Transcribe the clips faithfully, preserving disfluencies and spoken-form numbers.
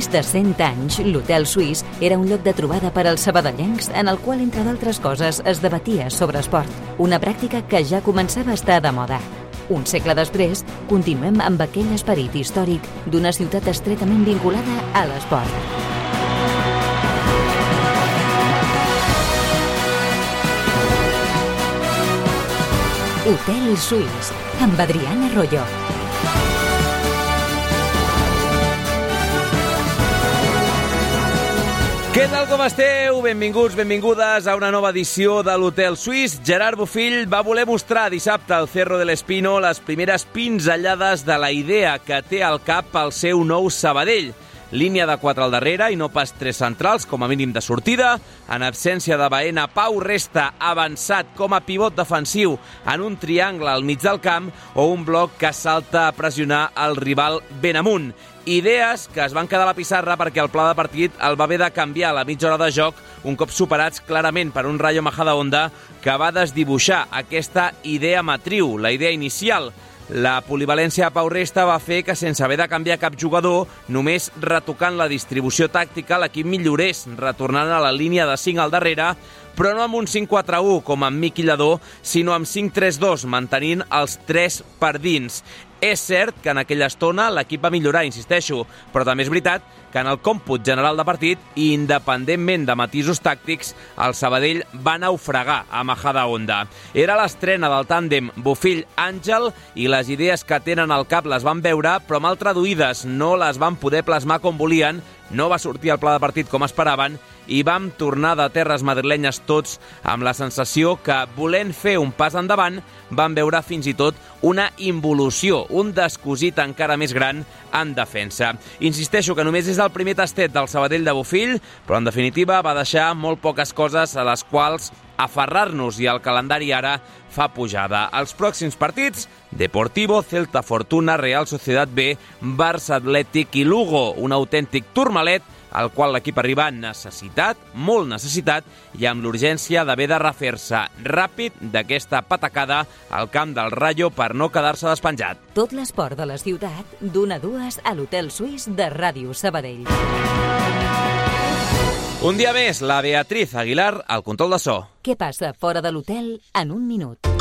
més de cent anys, l'Hotel Suís era un lloc de trobada per als sabadellencs en el qual, entre d'altres coses, es debatia sobre esport, una pràctica que ja començava a estar de moda. Un segle després, continuem amb aquell esperit històric d'una ciutat estretament vinculada a l'esport. Hotel Suís, amb Adriana Royo. Què tal, com esteu? Benvinguts, benvingudes a una nova edició de l'Hotel Suís. Gerard Bofill va voler mostrar dissabte al Cerro de l'Espino les primeres pinzellades de la idea que té al cap el seu nou Sabadell. Línia de quatre al darrere i no pas tres centrals, com a mínim de sortida. En absència de Baena, Pau resta avançat com a pivot defensiu en un triangle al mig del camp o un bloc que salta a pressionar el rival ben amunt. Idees que es van quedar a la pissarra perquè el pla de partit el va haver de canviar a la mitja hora de joc, un cop superats clarament per un Rayo Majadahonda que va desdibuixar aquesta idea matriu, la idea inicial. La polivalència de Pau Resta va fer que, sense haver de canviar cap jugador, només retocant la distribució tàctica, l'equip millorés, retornant a la línia de cinc al darrere, però no amb un cinc quatre u com amb Miqui Lladó, sinó amb cinc tres dos, mantenint els tres per dins. És cert que en aquella estona l'equip va millorar, insisteixo, però també és veritat que en el còmput general de partit, i independentment de matisos tàctics, el Sabadell va naufragar a Majadahonda. Era l'estrena del tàndem Bofill-Àngel i les idees que tenen al cap les van veure, però mal traduïdes, no les van poder plasmar com volien, no va sortir el pla de partit com esperaven i vam tornar de terres madrilenyes tots amb la sensació que, volent fer un pas endavant, van veure fins i tot una involució, un descosit encara més gran en defensa. Insisteixo que només és el primer tastet del Sabadell de Bofill, però en definitiva va deixar molt poques coses a les quals aferrar-nos i el calendari ara fa pujada. Els pròxims partits: Deportivo, Celta Fortuna, Real Sociedad B, Barça Atlètic i Lugo, un autèntic turmalet al qual l'equip arriba necessitat, molt necessitat, i amb l'urgència d'haver de refer-se ràpid d'aquesta patacada al camp del Rayo per no quedar-se despenjat. Tot l'esport de la ciutat, d'una a dues a l'Hotel Suís de Ràdio Sabadell. Un dia més, la Beatriz Aguilar al control de so. Què passa fora de l'hotel en un minut?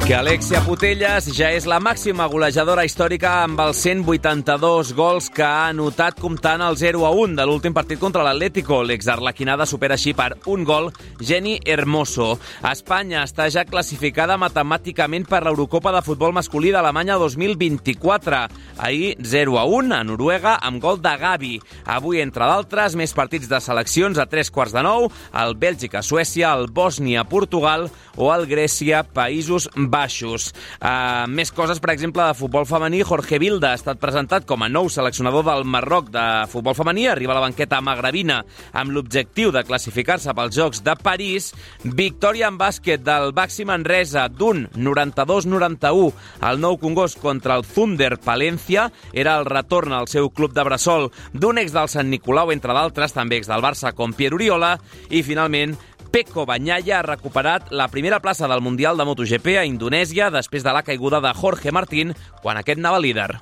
Que Alexia Putellas ja és la màxima golejadora històrica amb els cent vuitanta-dos gols que ha anotat comptant el zero a un de l'últim partit contra l'Atlético. L'exarlequinada supera així per un gol Jenny Hermoso. Espanya està ja classificada matemàticament per l'Eurocopa de futbol masculí d'Alemanya dos mil vint-i-quatre. Ahir zero a un a Noruega amb gol de Gavi. Avui, entre d'altres, més partits de seleccions a tres quarts de nou, el Bèlgica-Suècia, el Bòsnia-Portugal o el Grècia-Països Baixos. Uh, més coses, per exemple, de futbol femení. Jorge Vilda ha estat presentat com a nou seleccionador del Marroc de futbol femení. Arriba a la banqueta magrebina amb l'objectiu de classificar-se pels Jocs de París. Victòria en bàsquet del Baxi Manresa d'un noranta-dos noranta-u al Nou Congost contra el Thunder Palència. Era el retorn al seu club de bressol d'un ex del Sant Nicolau, entre d'altres, també ex del Barça com Pierre Oriola. I, finalment, Pecco Bagnaia ha recuperat la primera plaça del Mundial de MotoGP a Indonèsia després de la caiguda de Jorge Martín quan aquest anava líder.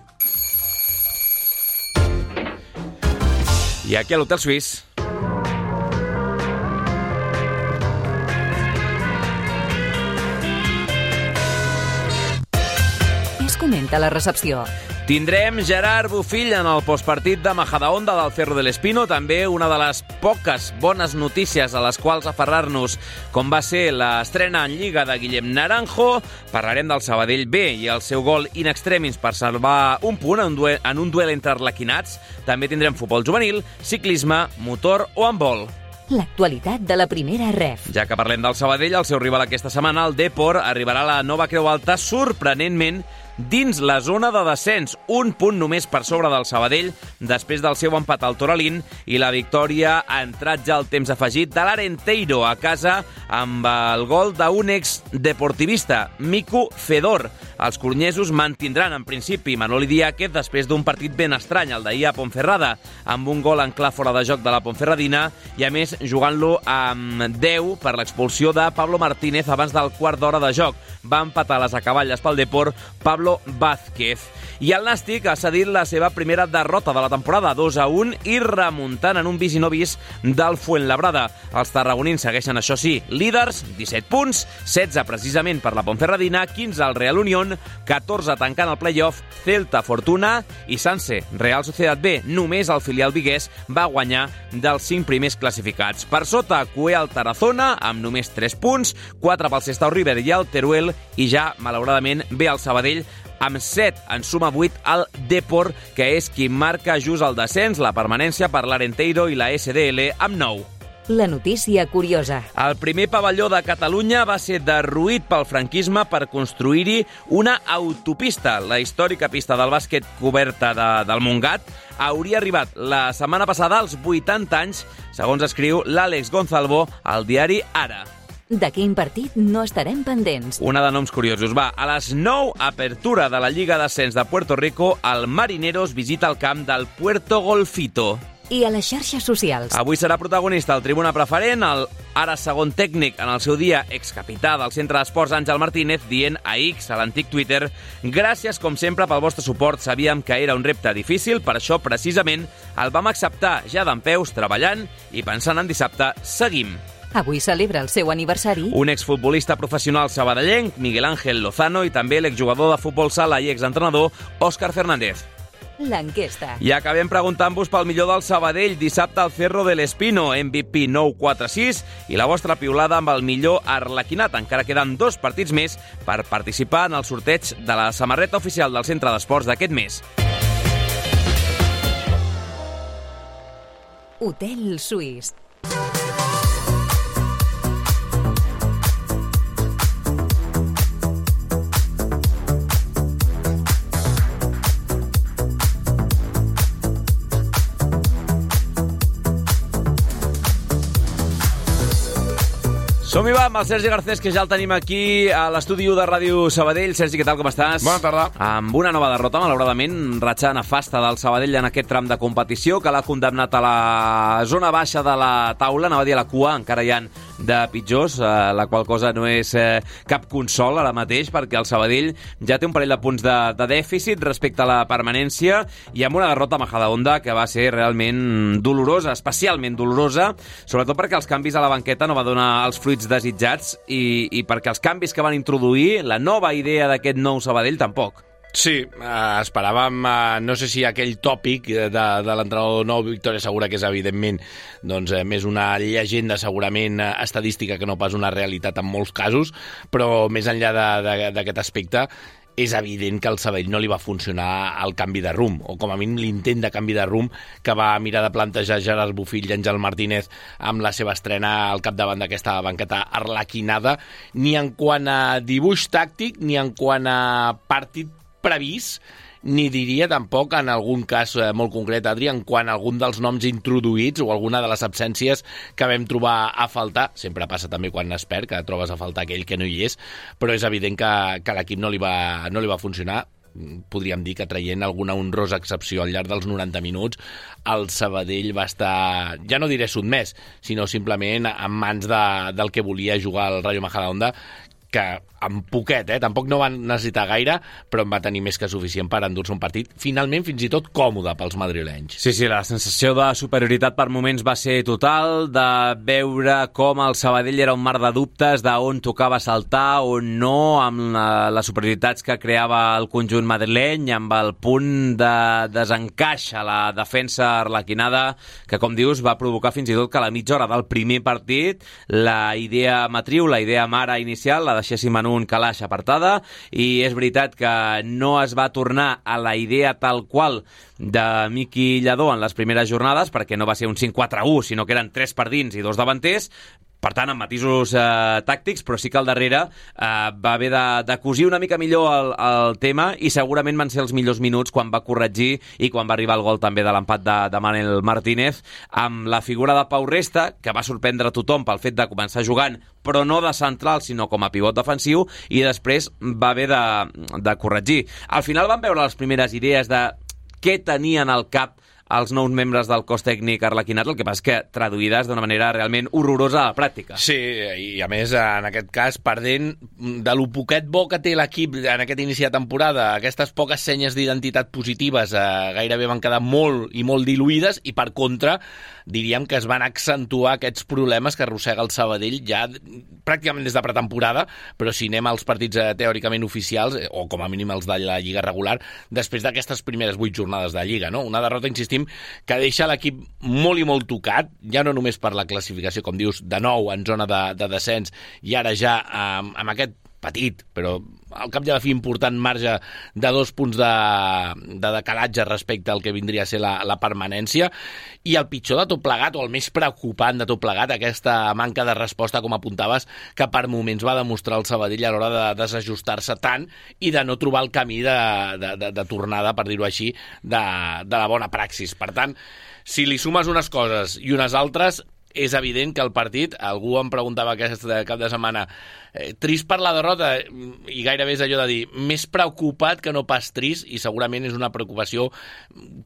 I aquí a l'Hotel Suís. Què es comenta a la recepció? Tindrem Gerard Bofill en el postpartit de Majadahonda del Cerro de l'Espino, també una de les poques bones notícies a les quals aferrar-nos, com va ser l'estrena en Lliga de Guillem Naranjo. Parlarem del Sabadell B i el seu gol in extremis per salvar un punt en un duel, en un duel entre arlequinats. També tindrem futbol juvenil, ciclisme, motor o handbol. L'actualitat de la primera ref. Ja que parlem del Sabadell, el seu rival aquesta setmana, el Depor, arribarà a la nova Creu Alta sorprenentment dins la zona de descens, un punt només per sobre del Sabadell després del seu empat al Toralín i la victòria ha entrat ja al temps afegit de l'Arenteiro a casa amb el gol d'un ex-deportivista, Mico Fedor. Els coronyesos mantindran en principi Manoli Diáquez després d'un partit ben estrany, el d'ahir a Ponferrada, amb un gol en clar fora de joc de la Ponferradina i a més jugant-lo amb deu per l'expulsió de Pablo Martínez abans del quart d'hora de joc. Va empatar les acaballes pel Depor Pablo Pablo Vázquez. I el Nàstic ha cedit la seva primera derrota de la temporada, dos a un, i remuntant en un vis i no vis del Fuenlabrada. Els tarragonins segueixen, això sí, líders, disset punts, setze precisament per la Ponferradina, quinze al Real Unión, catorze tancant el play-off, Celta, Fortuna i Sanse. Real Sociedad B, només el filial viguès va guanyar dels cinc primers classificats. Per sota, Cué al Tarazona, amb només tres punts, quatre pel Sestao River i el Teruel, i ja, malauradament, ve el Sabadell amb set, en suma vuit al Depor, que és qui marca just el descens, la permanència per l'Arenteiro i la S D L amb nou. La notícia curiosa. El primer pavelló de Catalunya va ser derruït pel franquisme per construir-hi una autopista. La històrica pista del bàsquet coberta de, del Montgat hauria arribat la setmana passada als vuitanta anys, segons escriu l'Àlex Gonzalvo al diari Ara. De quin partit no estarem pendents? Una de noms curiosos. Va, a les nou, apertura de la Lliga d'Ascens de Puerto Rico, el Marineros visita el camp del Puerto Golfito. I a les xarxes socials. Avui serà protagonista el tribuna preferent, el ara segon tècnic en el seu dia, excapità del Centre d'Esports Àngel Martínez, dient a X, a l'antic Twitter: gràcies, com sempre, pel vostre suport. Sabíem que era un repte difícil, per això, precisament, el vam acceptar ja dempeus, treballant i pensant en dissabte. Seguim. Avui celebra el seu aniversari un exfutbolista professional sabadellenc, Miguel Ángel Lozano, i també l'exjugador de futbol sala i exentrenador, Òscar Fernández. L'enquesta. I acabem preguntant-vos pel millor del Sabadell. Dissabte al Cerro del Espino, M V P nou quatre sis, i la vostra piulada amb el millor arlequinat. Encara queden dos partits més per participar en el sorteig de la samarreta oficial del Centre d'Esports d'aquest mes. Hotel Suís. Som-hi va amb el Sergi Garcés, que ja el tenim aquí a l'estudi de Ràdio Sabadell. Sergi, què tal, com estàs? Bona tarda. Amb una nova derrota, malauradament, ratxa nefasta del Sabadell en aquest tram de competició, que l'ha condemnat a la zona baixa de la taula, anava a dir a la cua, encara hi ha de pitjors, eh, la qual cosa no és eh, cap consol ara mateix, perquè el Sabadell ja té un parell de punts de, de dèficit respecte a la permanència, i amb una derrota a Majadahonda que va ser realment dolorosa, especialment dolorosa, sobretot perquè els canvis a la banqueta no va donar els fruits desitjats, i, i perquè els canvis que van introduir, la nova idea d'aquest nou Sabadell, tampoc. Sí, eh, esperàvem, eh, no sé si aquell tòpic de, de l'entrenador nou, Victoria Segura, que és evidentment doncs, eh, més una llegenda segurament eh, estadística que no pas una realitat en molts casos, però més enllà d'aquest aspecte, és evident que al Sabadell no li va funcionar el canvi de rumb, o com a mínim l'intent de canvi de rumb que va mirar de plantejar Gerard Bofill i Àngel Martínez amb la seva estrena al capdavant d'aquesta banqueta arlequinada, ni en quant a dibuix tàctic, ni en quant a partit previst, ni diria tampoc en algun cas eh, molt concret, Adri, en quant a algun dels noms introduïts o alguna de les absències que vam trobar a faltar. Sempre passa també quan es perd, que trobes a faltar aquell que no hi és, però és evident que, que l'equip no li va, no li va funcionar. Podríem dir que traient alguna honrosa excepció al llarg dels noranta minuts, el Sabadell va estar, ja no diré sotmès, sinó simplement en mans de, del que volia jugar el Rayo Majadahonda, que amb poquet, eh? Tampoc no van necessitar gaire, però en va tenir més que suficient per endur-se un partit, finalment fins i tot còmode pels madrilenys. Sí, sí, la sensació de superioritat per moments va ser total, de veure com el Sabadell era un mar de dubtes d'on tocava saltar o no, amb la, les superioritats que creava el conjunt madrileny, amb el punt de desencaix a la defensa arlequinada, que, com dius, va provocar fins i tot que a la mitja hora del primer partit la idea matriu, la idea mare inicial, la deixéssim en un calaix apartada, i és veritat que no es va tornar a la idea tal qual de Miqui Lladó en les primeres jornades, perquè no va ser un cinc quatre u, sinó que eren tres per dins i dos davanters, per tant, amb matisos eh, tàctics, però sí que al darrere eh, va haver de, de cosir una mica millor el, el tema, i segurament van ser els millors minuts quan va corregir i quan va arribar el gol també de l'empat de, de Manel Martínez, amb la figura de Pau Resta, que va sorprendre tothom pel fet de començar jugant, però no de central, sinó com a pivot defensiu, i després va haver de, de corregir. Al final van veure les primeres idees de què tenien al cap els nous membres del cos tècnic arlequinat, el que passa és que traduïdes d'una manera realment horrorosa a la pràctica. Sí, i a més, en aquest cas, perdent de lo poquet bo que té l'equip en aquest inici de temporada, aquestes poques senyes d'identitat positives eh, gairebé van quedar molt i molt diluïdes, i per contra, diríem que es van accentuar aquests problemes que arrossega el Sabadell ja pràcticament des de pretemporada, però si anem als partits eh, teòricament oficials, eh, o com a mínim els de la Lliga regular, després d'aquestes primeres vuit jornades de Lliga, no? Una derrota, insistim, que deixa l'equip molt i molt tocat, ja no només per la classificació, com dius, de nou en zona de, de descens, i ara ja amb, amb aquest petit, però al cap i a la fi important marge de dos punts de, de decalatge respecte al que vindria a ser la, la permanència, i el pitjor de tot plegat, o el més preocupant de tot plegat, aquesta manca de resposta, com apuntaves, que per moments va demostrar el Sabadell a l'hora de desajustar-se tant i de no trobar el camí de, de, de, de tornada, per dir-ho així, de, de la bona praxis. Per tant, si li sumes unes coses i unes altres, és evident que el partit, algú em preguntava aquest cap de setmana, eh, trist per la derrota, i gairebé és allò de dir, més preocupat que no pas trist, i segurament és una preocupació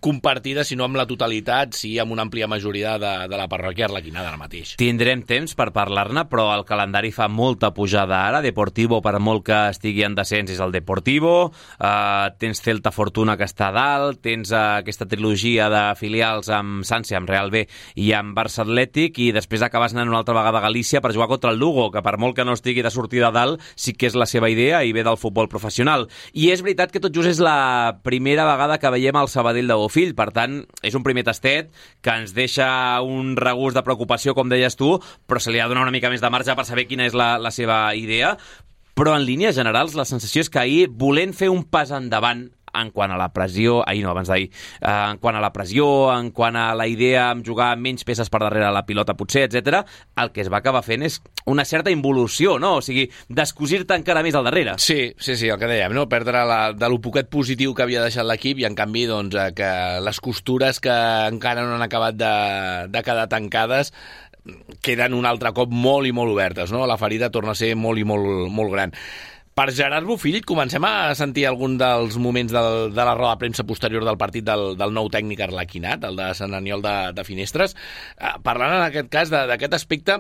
compartida, si no amb la totalitat, sí amb una àmplia majoria de, de la parròquia arlequinada ara mateix. Tindrem temps per parlar-ne, però el calendari fa molta pujada ara. Deportivo, per molt que estigui en descens, és el Deportivo, eh, tens Celta Fortuna, que està a dalt, tens eh, aquesta trilogia de filials amb Sància, amb Real B i amb Barça Atlètic, i després acabes anant una altra vegada a Galícia per jugar contra el Lugo, que per molt que no estigui de sortida a dalt, sí que és la seva idea i ve del futbol professional. I és veritat que tot just és la primera vegada que veiem el Sabadell de Bofill, per tant, és un primer tastet que ens deixa un regust de preocupació, com deies tu, però se li ha de donar una mica més de marge per saber quina és la, la seva idea. Però en línies generals la sensació és que ahir, volent fer un pas endavant en quant a la pressió, ahir no, abans d'ahir, eh, en quant a la pressió, en quant a la idea amb jugar menys peces per darrere la pilota potser, etcètera, el que es va acabar fent és una certa involució, no? O sigui, descosir-te encara més al darrere. Sí, sí, sí, el que dèiem, no? Perdre la, de lo poquet positiu que havia deixat l'equip, i en canvi, doncs, eh, que les costures que encara no han acabat de, de quedar tancades queden un altre cop molt i molt obertes, no? La ferida torna a ser molt i molt, molt gran. Per Gerard Bofill, comencem a sentir algun dels moments del, de la roda de premsa posterior del partit del, del nou tècnic arlequinat, el de Sant Aniol de, de Finestres, eh, parlant en aquest cas d'aquest aspecte,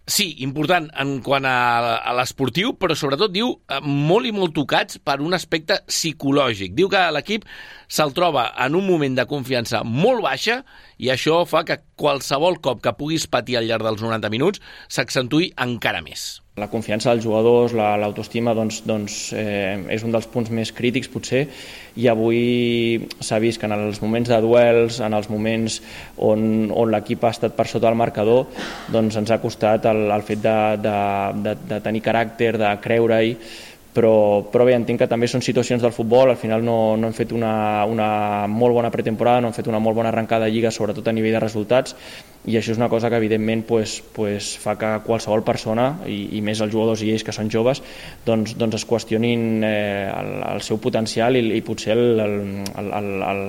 sí, important en quant a, a l'esportiu, però sobretot diu eh, molt i molt tocats per un aspecte psicològic. Diu que l'equip se'l troba en un moment de confiança molt baixa, i això fa que qualsevol cop que puguis patir al llarg dels noranta minuts s'accentuï encara més. La confiança dels jugadors, la, l'autoestima, doncs, doncs, eh, és un dels punts més crítics, potser, i avui s'ha vist que en els moments de duels, en els moments on, on l'equip ha estat per sota del marcador, doncs ens ha costat el, el fet de, de, de, de tenir caràcter, de creure-hi, però, però bé, entenc que també són situacions del futbol. Al final no, no hem fet una, una molt bona pretemporada, no hem fet una molt bona arrencada de Lliga, sobretot a nivell de resultats, i això és una cosa que evidentment pues, pues, fa que qualsevol persona, i, i més els jugadors i ells que són joves, doncs, doncs es qüestionin eh, el, el seu potencial i, i potser el, el, el, el, el,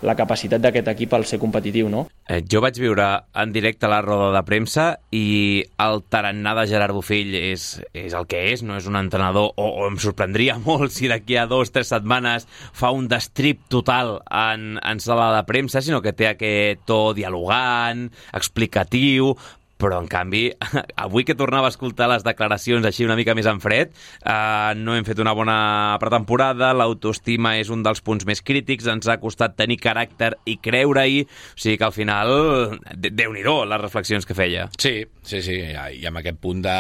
la capacitat d'aquest equip al ser competitiu, no? Eh, jo vaig viure en directe la roda de premsa, i el tarannà de Gerard Bofill és, és el que és, no és un entrenador, o, o em sorprendria molt si d'aquí a dos o tres setmanes fa un destrip total en, en sala de premsa, sinó que té aquest to dialogant, explicatiu, però en canvi, avui que tornava a escoltar les declaracions així una mica més en fred, eh, no hem fet una bona pretemporada, l'autoestima és un dels punts més crítics, ens ha costat tenir caràcter i creure-hi, o sigui que al final, déu-n'hi-do les reflexions que feia. Sí, sí, sí, i amb aquest punt de,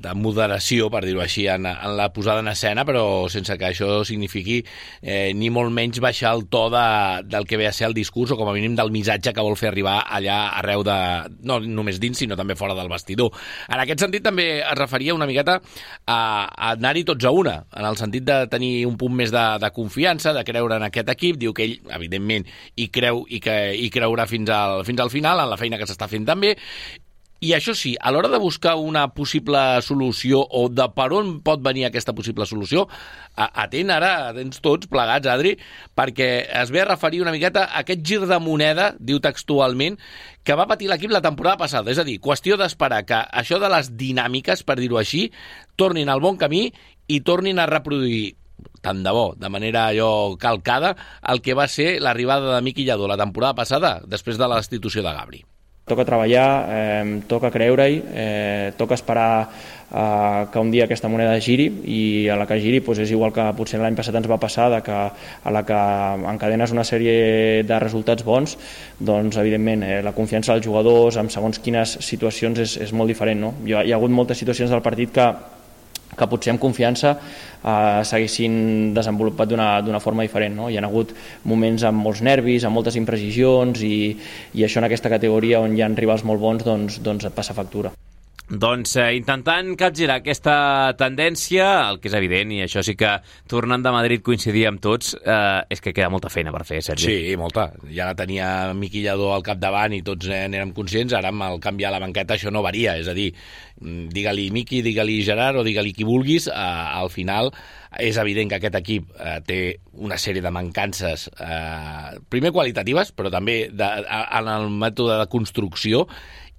de moderació, per dir-ho així, en, en la posada en escena, però sense que això signifiqui eh, ni molt menys baixar el to de, del que ve a ser el discurs, o com a mínim del missatge que vol fer arribar allà arreu de... no només dins, sinó també fora del vestidor. En aquest sentit també es referia una miqueta a, a anar-hi tots a una, en el sentit de tenir un punt més de, de confiança, de creure en aquest equip. Diu que ell, evidentment, hi creu i que hi creurà fins al, fins al final, en la feina que s'està fent també. I això sí, a l'hora de buscar una possible solució, o de per on pot venir aquesta possible solució, atent ara, atents tots plegats, Adri, perquè es ve a referir una miqueta a aquest gir de moneda, diu textualment, que va patir l'equip la temporada passada. És a dir, qüestió d'esperar que això de les dinàmiques, per dir-ho així, tornin al bon camí i tornin a reproduir tant de bo, de manera allò calcada, el que va ser l'arribada de Miqui Lladó la temporada passada, després de la destitució de Gabri. Toca treballar, eh, toca creure-hi, eh, toca esperar eh, que un dia aquesta moneda giri, i a la que giri doncs és igual que potser l'any passat ens va passar, de que a la que encadenes una sèrie de resultats bons, doncs evidentment eh, la confiança dels jugadors en segons quines situacions és, és molt diferent, no? Hi ha, hi ha hagut moltes situacions del partit que que potser amb confiança eh, s'haguessin desenvolupat d'una forma diferent, no? Hi ha hagut moments amb molts nervis, amb moltes imprecisions, i, i això en aquesta categoria on hi ha rivals molt bons doncs, doncs et passa factura. Doncs eh, intentant capgirar aquesta tendència, el que és evident, i això sí que tornant de Madrid coincidir amb tots, eh, és que queda molta feina per fer, Sergi. Sí, molta. Ja la tenia Miqui Lladó al capdavant i tots eh, n'érem conscients, ara amb el canvi a la banqueta això no varia, és a dir, digue-li Miqui, digue-li Gerard o digue-li qui vulguis, eh, al final és evident que aquest equip eh, té una sèrie de mancances, eh, primer qualitatives, però també de, en el mètode de construcció,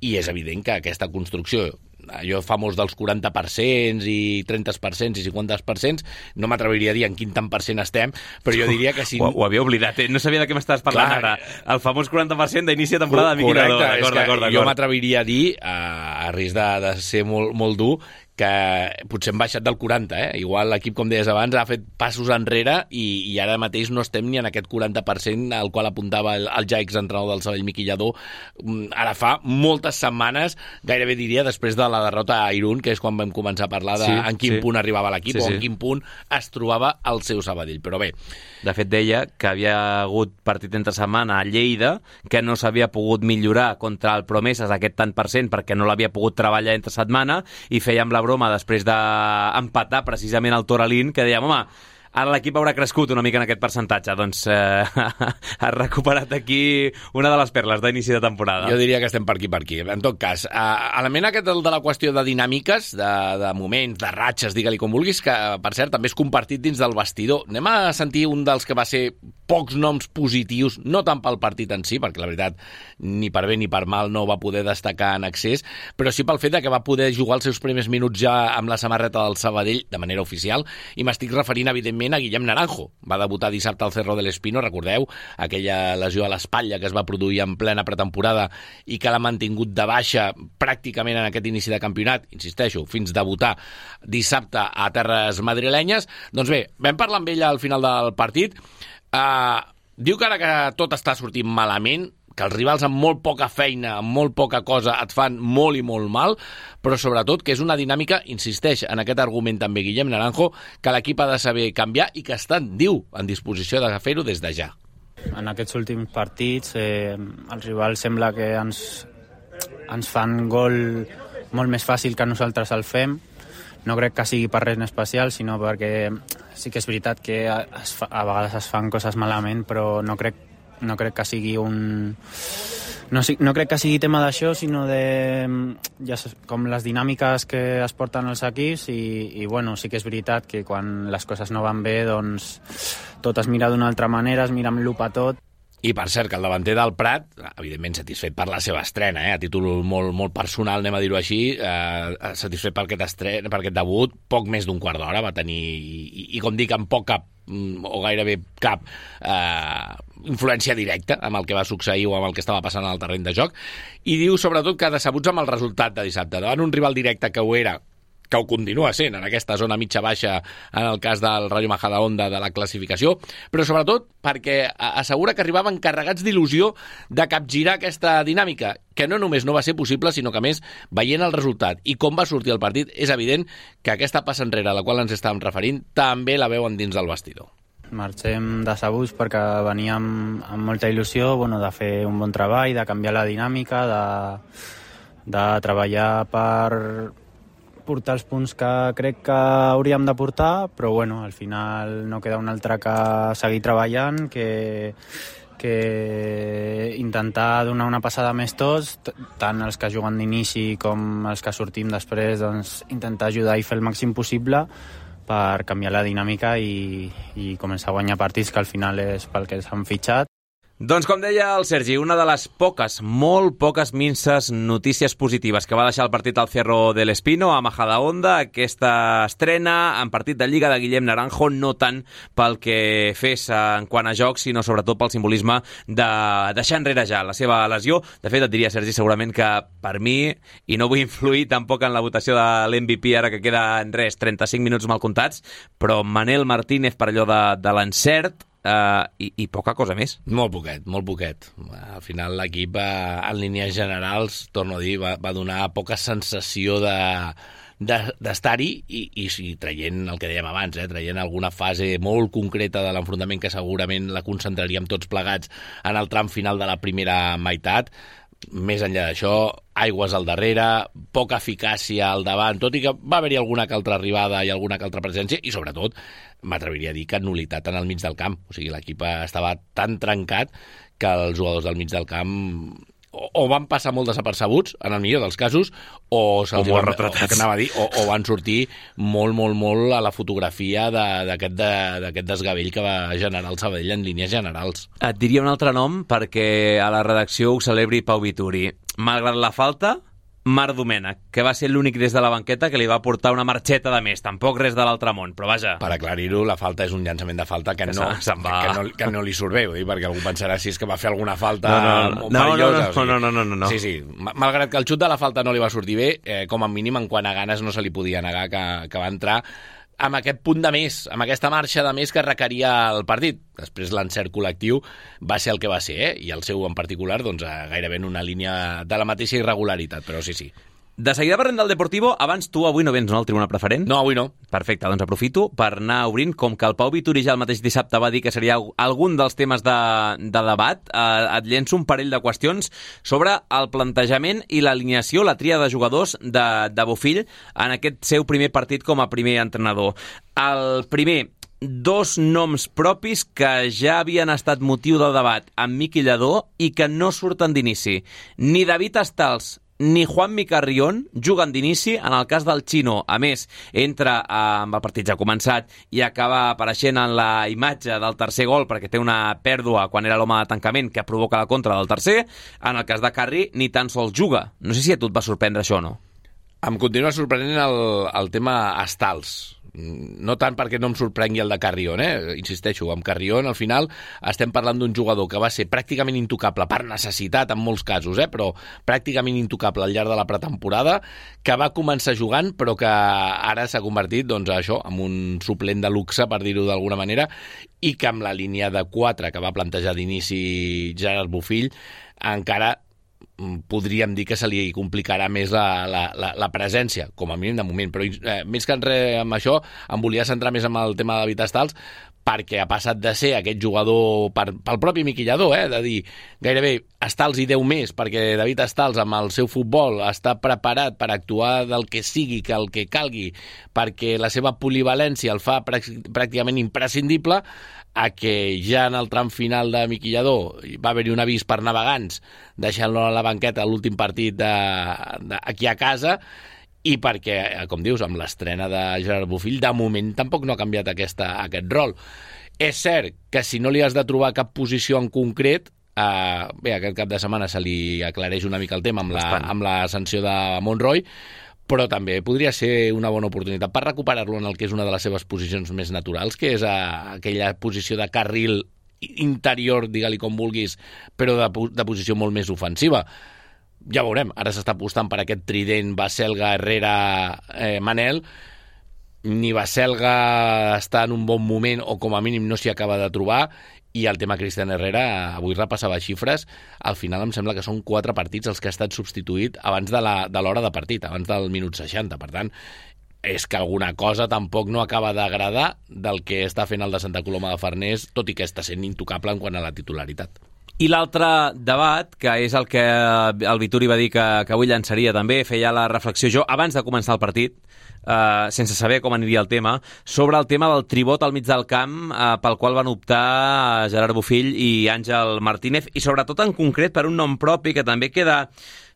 i és evident que aquesta construcció, allò famós dels quaranta per cent i trenta per cent i cinquanta per cent, no m'atreviria a dir en quin tant per cent estem, però jo diria que si... Ho, ho havia oblidat, eh? No sabia de què m'estaves parlant. Clar, ara. El famós quaranta per cent d'inici de temporada de Miqui Lladó. D'acord, d'acord, d'acord. Jo m'atreviria a dir, a, a risc de, de ser molt, molt dur, que potser hem baixat del quaranta, eh? Igual l'equip, com deies abans, ha fet passos enrere i, i ara mateix no estem ni en aquest quaranta per cent al qual apuntava el, el ja exentrenador del Sabadell, Miqui Lladó. Ara fa moltes setmanes, gairebé diria després de la derrota a Irún, que és quan vam començar a parlar de sí, en quin sí. punt arribava l'equip, sí, sí. o en quin punt es trobava el seu Sabadell. Però bé, de fet deia que havia hagut partit entre setmana a Lleida, que no s'havia pogut millorar contra el Promeses aquest tant per cent perquè no l'havia pogut treballar entre setmana, i fèiem la broma després d'empatar precisament el Toralín, que dèiem, home, ara l'equip haurà crescut una mica en aquest percentatge. Doncs eh, ha recuperat aquí una de les perles d'inici de temporada. Jo diria que estem per aquí, per aquí. En tot cas, eh, element aquest de la qüestió de dinàmiques, de, de moments, de ratxes, digue-li com vulguis, que, per cert, també és compartit dins del vestidor. Anem a sentir un dels que va ser pocs noms positius, no tant pel partit en si, perquè la veritat, ni per bé ni per mal no va poder destacar en excés, però sí pel fet de que va poder jugar els seus primers minuts ja amb la samarreta del Sabadell de manera oficial, i m'estic referint, evidentment, a Guillem Naranjo. Va debutar dissabte al Cerro del Espino, recordeu, aquella lesió a l'espatlla que es va produir en plena pretemporada i que l'ha mantingut de baixa pràcticament en aquest inici de campionat, insisteixo, fins debutar dissabte a terres madrilenyes. Doncs bé, vam parlar amb ella al final del partit. Uh, diu que ara que tot està sortint malament, que els rivals amb molt poca feina, amb molt poca cosa, et fan molt i molt mal, però sobretot que és una dinàmica, insisteix en aquest argument també Guillem Naranjo, que l'equip ha de saber canviar i que estan, diu, en disposició de fer-ho des de ja. En aquests últims partits eh, els rivals sembla que ens, ens fan gol molt més fàcil que nosaltres el fem. No crec que sigui per res en especial, sinó perquè sí que és veritat que es fa, a vegades es fan coses malament, però no crec no crec que sigui un... No, no crec que sigui tema d'això, sinó de ja, com les dinàmiques que es porten els equips, i, i bueno, sí que és veritat que quan les coses no van bé, doncs tot es mira d'una altra manera, es mira amb lupa tot. I per cert, que el davanter del Prat, evidentment satisfet per la seva estrena, eh? A títol molt, molt personal, anem a dir-ho així, eh, satisfet per aquest, estrena, per aquest debut, poc més d'un quart d'hora va tenir, i, i com dic, amb poc cap, o gairebé cap eh, influència directa amb el que va succeir o amb el que estava passant al terreny de joc, i diu sobretot que decebuts amb el resultat de dissabte, davant un rival directe que ho era, que ho continua sent en aquesta zona mitja-baixa en el cas del Rayo Majadahonda de la classificació, però sobretot perquè assegura que arribaven carregats d'il·lusió de capgirar aquesta dinàmica, que no només no va ser possible, sinó que a més, veient el resultat i com va sortir el partit, és evident que aquesta passa enrere a la qual ens estàvem referint també la veuen dins del vestidor. Marxem decebuts perquè veníem amb molta il·lusió, bueno, de fer un bon treball, de canviar la dinàmica, de, de treballar per portar els punts que crec que hauríem de portar, però bueno, al final no queda un altre que seguir treballant, que, que intentar donar una passada més tots, tant els que juguen d'inici com els que sortim després, doncs intentar ajudar i fer el màxim possible per canviar la dinàmica i, i començar a guanyar partits, que al final és pel que s'han fitxat. Doncs com deia el Sergi, una de les poques, molt poques minces notícies positives que va deixar el partit al Cerro del Espino a Majadahonda, aquesta estrena en partit de Lliga de Guillem Naranjo, no tant pel que fes en quant a joc, sinó sobretot pel simbolisme de deixar enrere ja la seva lesió. De fet, et diria, Sergi, segurament que per mi, i no vull influir tampoc en la votació de l'M V P ara que queda en res, trenta-cinc minuts mal comptats, però Manel Martínez per allò de, de l'encert, Uh, i, i poca cosa més. Molt poquet, molt poquet. Al final l'equip, uh, en línies generals, torno a dir, va, va donar poca sensació de d'estar-hi i, i, i traient el que dèiem abans, eh, traient alguna fase molt concreta de l'enfrontament que segurament la concentraríem tots plegats en el tram final de la primera meitat. Més enllà d'això, aigües al darrere, poca eficàcia al davant, tot i que va haver-hi alguna que altra arribada i alguna que altra presència, i sobretot m'atreviria a dir que nul·litat en el mig del camp. O sigui, l'equip estava tan trencat que els jugadors del mig del camp o, o van passar molt desapercebuts, en el millor dels casos, o, o molt retratats. O, anava a dir, o, o van sortir molt, molt, molt a la fotografia d'aquest de, d'aquest desgavell que va generar el Sabadell en línies generals. Et diria un altre nom perquè a la redacció ho celebri Pau Vituri. Malgrat la falta, Marc Domènech, que va ser l'únic des de la banqueta que li va portar una marxeta de més, tampoc res de l'altre món, però vaja. Per aclarir-ho, la falta és un llançament de falta que, que, no, se, va... que, no, que no li surt bé, vull dir, perquè algú pensarà si és que va fer alguna falta no, no, no, perillosa. No, no, no, no, no, no, no, no. Sí, sí, malgrat que el xut de la falta no li va sortir bé, eh, com a mínim en quant a ganes no se li podia negar que, que va entrar amb aquest punt de més, amb aquesta marxa de més que requeria el partit. Després l'encert col·lectiu va ser el que va ser, eh? I el seu en particular, doncs, gairebé en una línia de la mateixa irregularitat, però sí, sí. De seguida parlem del Deportivo. Abans tu avui no vens, no, al Tribuna Preferent? No, avui no. Perfecte, doncs aprofito per anar obrint, com que el Pau Vituri ja el mateix dissabte va dir que seria algun dels temes de, de debat, eh, et llenço un parell de qüestions sobre el plantejament i l'alineació, la tria de jugadors de, de Bofill en aquest seu primer partit com a primer entrenador. El primer, dos noms propis que ja havien estat motiu del debat amb Miqui Lladó i que no surten d'inici. Ni David Estals ni Juanmi Carrión juguen d'inici en el cas del Chino. A més, entra eh, amb el partit ja començat i acaba apareixent en la imatge del tercer gol perquè té una pèrdua quan era l'home de tancament que provoca la contra del tercer. En el cas de Carri ni tan sols juga. No sé si a tu et va sorprendre això o no. Em continua sorprenent el, el tema Estals. No tant perquè no em sorprengui el de Carrión, eh? Insisteixo, amb Carrión al final estem parlant d'un jugador que va ser pràcticament intocable per necessitat en molts casos, eh? Però pràcticament intocable al llarg de la pretemporada, que va començar jugant però que ara s'ha convertit, doncs, això, en un suplent de luxe, per dir-ho d'alguna manera, i que amb la línia de quatre que va plantejar d'inici Gerard Bofill encara podríem dir que se li complicarà més la, la, la, la presència, com a mínim de moment, però eh, més que en res amb això em volia centrar més en el tema de David Estals, perquè ha passat de ser aquest jugador per, pel propi Miqui Lladó, eh, de dir gairebé Estals hi deu més, perquè David Estals amb el seu futbol està preparat per actuar del que sigui, que el que calgui, perquè la seva polivalència el fa pràcticament imprescindible, a que ja en el tram final de Miqui Lladó va haver-hi un avís per navegants deixant-lo a la banqueta a l'últim partit de, de, aquí a casa, i perquè, com dius, amb l'estrena de Gerard Bofill, de moment tampoc no ha canviat aquesta, aquest rol. És cert que si no li has de trobar cap posició en concret, eh, bé, aquest cap de setmana se li aclareix una mica el tema amb la, amb la sanció de Monroy, però també podria ser una bona oportunitat per recuperar-lo en el que és una de les seves posicions més naturals, que és a, aquella posició de carril interior, digue-li com vulguis, però de, de posició molt més ofensiva. Ja veurem, ara s'està apostant per aquest trident Baselga, Herrera, eh, Manel. Ni Baselga està en un bon moment, o com a mínim no s'hi acaba de trobar, i el tema Cristian Herrera, avui repassava xifres, al final em sembla que són quatre partits els que ha estat substituït abans de la, de l'hora de partit, abans del minut seixanta. Per tant, és que alguna cosa tampoc no acaba d'agradar del que està fent el de Santa Coloma de Farners, tot i que està sent intocable en quant a la titularitat. I l'altre debat, que és el que el Vituri va dir que, que avui llançaria també, feia la reflexió jo abans de començar el partit, eh, sense saber com aniria el tema, sobre el tema del tribot al mig del camp eh, pel qual van optar Gerard Bofill i Àngel Martínez, i sobretot en concret per un nom propi que també queda,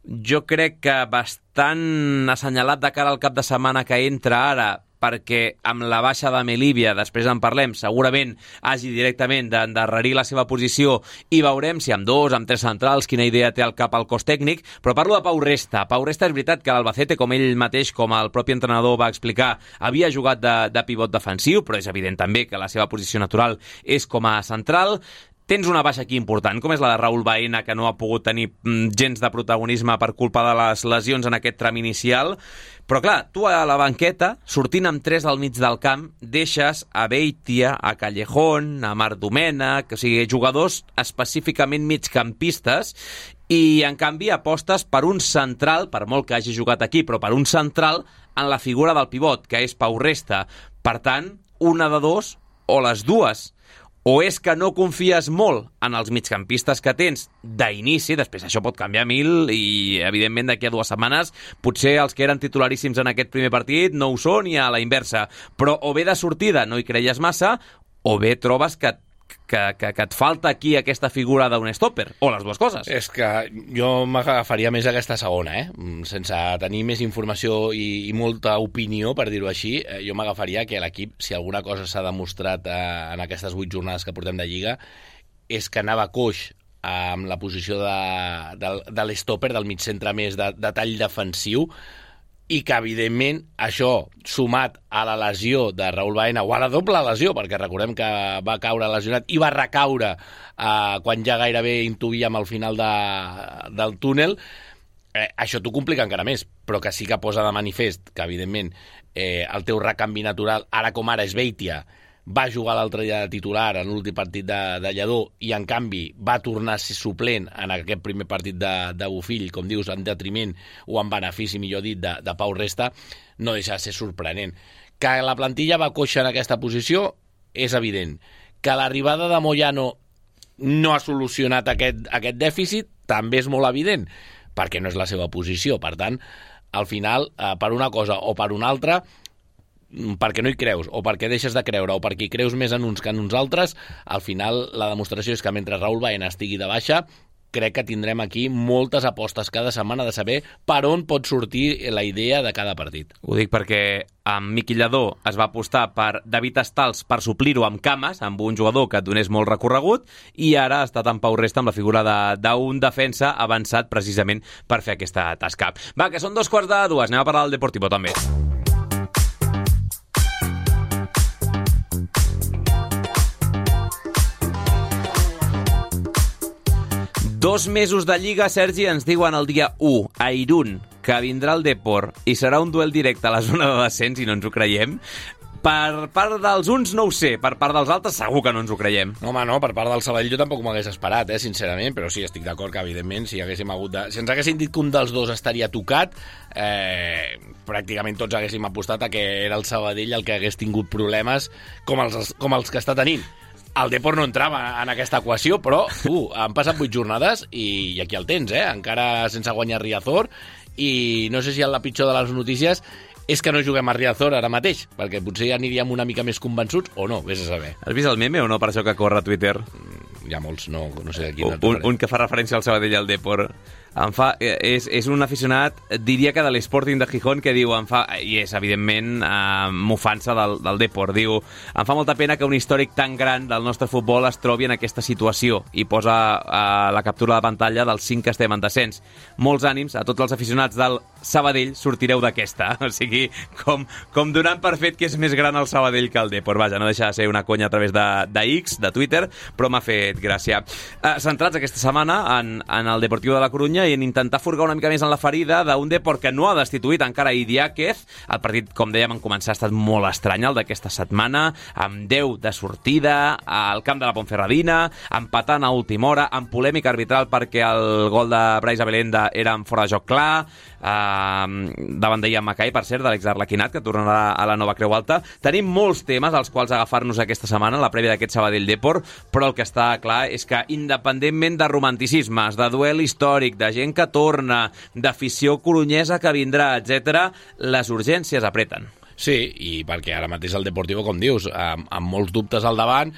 jo crec que bastant assenyalat de cara al cap de setmana que entra ara, perquè amb la baixa de Melívia, després en parlem, segurament hagi directament d'endarrerir la seva posició i veurem si amb dos, amb tres centrals, quina idea té al cap el cos tècnic, però parlo de Pau Resta. Pau Resta és veritat que l'Albacete, com ell mateix, com el propi entrenador va explicar, havia jugat de, de pivot defensiu, però és evident també que la seva posició natural és com a central. Tens una baixa aquí important, com és la de Raúl Baena, que no ha pogut tenir gens de protagonisme per culpa de les lesions en aquest tram inicial. Però clar, tu a la banqueta, sortint amb tres al mig del camp, deixes a Beitia, a Callejón, a Marc Domènech, o sigui, jugadors específicament migcampistes, i en canvi apostes per un central, per molt que hagi jugat aquí, però per un central en la figura del pivot, que és Pau Resta. Per tant, una de dos o les dues. O és que no confies molt en els migcampistes que tens d'inici, després això pot canviar mil i, evidentment, d'aquí a dues setmanes potser els que eren titularíssims en aquest primer partit no ho són i a la inversa. Però o bé de sortida no hi creies massa, o bé trobes que Que, que, que et falta aquí aquesta figura d'un stopper, o les dues coses. És que jo m'agafaria més aquesta segona, eh? Sense tenir més informació i, i molta opinió, per dir-ho així, eh, jo m'agafaria que l'equip, si alguna cosa s'ha demostrat eh, en aquestes vuit jornades que portem de Lliga, és que anava coix amb la posició de, de, de l'stopper, del mig centre més de, de tall defensiu, i que, evidentment, això, sumat a la lesió de Raúl Baena, o a la doble lesió, perquè recordem que va caure lesionat i va recaure eh, quan ja gairebé intuïem al final de, del túnel, eh, això t'ho complica encara més, però que sí que posa de manifest que, evidentment, eh, el teu recanvi natural, ara com ara és Beitia, va jugar l'altre dia de titular en l'últim partit de, de Lledó i, en canvi, va tornar a ser suplent en aquest primer partit de, de Bofill, com dius, en detriment o en benefici, millor dit, de, de Pau Resta, no deixa de ser sorprenent. Que la plantilla va coixa en aquesta posició és evident. Que l'arribada de Moyano no ha solucionat aquest, aquest dèficit també és molt evident, perquè no és la seva posició. Per tant, al final, eh, per una cosa o per una altra, perquè no hi creus, o perquè deixes de creure, o perquè hi creus més en uns que en uns altres, al final la demostració és que mentre Raúl Baena estigui de baixa, crec que tindrem aquí moltes apostes cada setmana de saber per on pot sortir la idea de cada partit. Ho dic perquè amb Miqui Lledó es va apostar per David Estals per suplir-ho amb cames, amb un jugador que et donés molt recorregut, i ara ha estat en Pau Resta amb la figura d'un de, defensa avançat precisament per fer aquesta tasca. Va, que són dos quarts de dues, anem a parlar del Deportivo també. Dos mesos de Lliga, Sergi, ens diuen el dia u a Irún que vindrà el Depor i serà un duel directe a la zona de descens i no ens ho creiem. Per part dels uns no ho sé, per part dels altres segur que no ens ho creiem. No, home, no, per part del Sabadell jo tampoc m'hagués esperat, eh, sincerament, però sí, estic d'acord que, evidentment, si haguéssim hagut de... Si ens haguessin dit que un dels dos estaria tocat, eh, pràcticament tots haguéssim apostat a que era el Sabadell el que hagués tingut problemes com els, com els que està tenint. El Depor no entrava en aquesta equació, però uh, han passat vuit jornades i, i aquí el tens, eh? Encara sense guanyar Riazor, i no sé si la pitjor de les notícies és que no juguem a Riazor ara mateix, perquè potser ja aniríem una mica més convençuts, o no, vés a saber. Has vist el meme o no, per això que corre a Twitter? Hi ha molts, no, no sé de quin. Un, un que fa referència al Sabadell i al Depor. Em fa, és, és un aficionat, diria que de l'Sporting de Gijón, que diu, em fa, i és evidentment eh, mofança del, del Depor, diu, em fa molta pena que un històric tan gran del nostre futbol es trobi en aquesta situació, i posa eh, la captura de pantalla dels cinc que estem en descens. Molts ànims a tots els aficionats del Sabadell, sortireu d'aquesta. O sigui, com, com donant per fet que és més gran el Sabadell que el Depor. Vaja, no deixa de ser una conya a través de, de X, de Twitter, però m'ha fet gràcia. Eh, centrats aquesta setmana en, en el Deportivo de la Corunya i en intentar furgar una mica més en la ferida d'un Depor que no ha destituït encara Idiáquez. El partit, com dèiem, en començar ha estat molt estrany, el d'aquesta setmana, amb deu de sortida, al camp de la Ponferradina, empatant a última hora, amb polèmica arbitral perquè el gol de Brais Abelenda era en fora de joc clar, eh, davant d'Ian Mackay, per cert, de l'ex-Arlequinat, que tornarà a la nova Creu Alta. Tenim molts temes als quals agafar-nos aquesta setmana, la prèvia d'aquest Sabadell Depor, però el que està clar és que, independentment de romanticismes, de duel històric, de gent que torna, d'afició corunyesa que vindrà, etcètera, les urgències apreten. Sí, i perquè ara mateix el Deportivo, com dius, amb, amb molts dubtes al davant,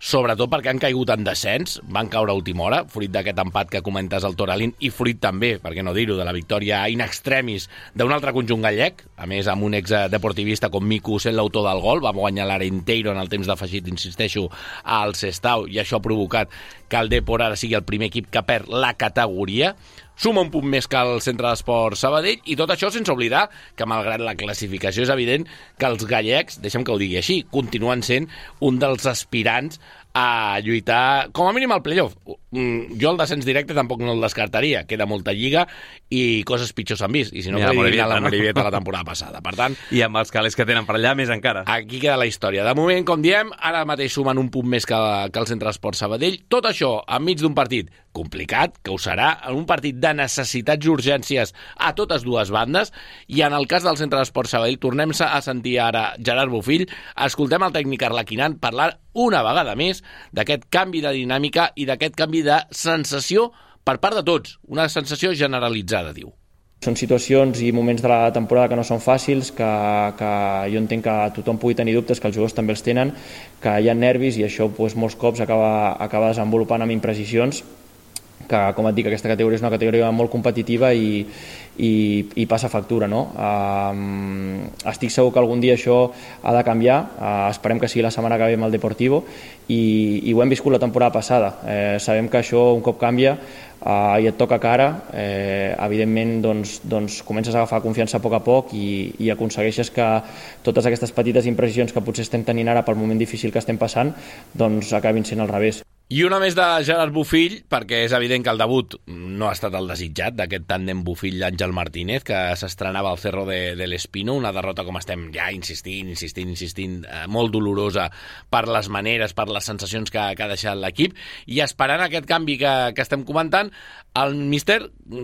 sobretot perquè han caigut en descens, van caure a última hora, fruit d'aquest empat que comentes al Toralín, i fruit també, per què no dir-ho, de la victòria in extremis d'un altre conjunt gallec, a més amb un ex-deportivista com Mico sent l'autor del gol, va guanyar l'Arenteiro en el temps d'afegit, insisteixo, al Sestao, i això ha provocat que el Depor ara sigui el primer equip que perd la categoria, suma un punt més que el Centre d'Esport Sabadell, i tot això sense oblidar que, malgrat la classificació, és evident que els gallecs, deixa'm que ho digui així, continuen sent un dels aspirants a lluitar, com a mínim al playoff. Jo el descens directe tampoc no el descartaria, queda molta lliga i coses pitjors s'han vist, i si no, I la podria Morevieta, la no? Morevieta la temporada passada. Per tant, I amb els calés que tenen per allà, més encara. aquí queda la història. De moment, com diem, ara mateix sumen un punt més que, que el Centre d'Esport Sabadell. Tot això enmig d'un partit complicat, que ho serà, en un partit de necessitats i urgències a totes dues bandes, i en el cas del Centre d'Esport Sabadell tornem a sentir ara Gerard Bofill, escoltem el tècnic arlequinant parlar una vegada més d'aquest canvi de dinàmica i d'aquest canvi de sensació per part de tots, una sensació generalitzada, diu. Són situacions i moments de la temporada que no són fàcils, que, que jo entenc que tothom pugui tenir dubtes, que els jugadors també els tenen, que hi ha nervis i això doncs, molts cops acaba, acaba desenvolupant amb imprecisions, que, com et dic, aquesta categoria és una categoria molt competitiva i, i, i passa factura, no? Um, estic segur que algun dia això ha de canviar, uh, esperem que sigui la setmana que ve amb el Deportivo, i, i ho hem viscut la temporada passada. Eh, sabem que això un cop canvia uh, i et toca cara, eh, evidentment doncs, doncs comences a agafar confiança a poc a poc i, i aconsegueixes que totes aquestes petites imprecisions que potser estem tenint ara pel moment difícil que estem passant doncs acabin sent al revés. I una més de Gerard Bofill, perquè és evident que el debut no ha estat el desitjat d'aquest tàndem Bofill-Àngel Martínez, que s'estrenava al Cerro de, de l'Espino, una derrota, com estem ja insistint, insistint, insistint, eh, molt dolorosa per les maneres, per les sensacions que, que ha deixat l'equip, i esperant aquest canvi que, que estem comentant, el míster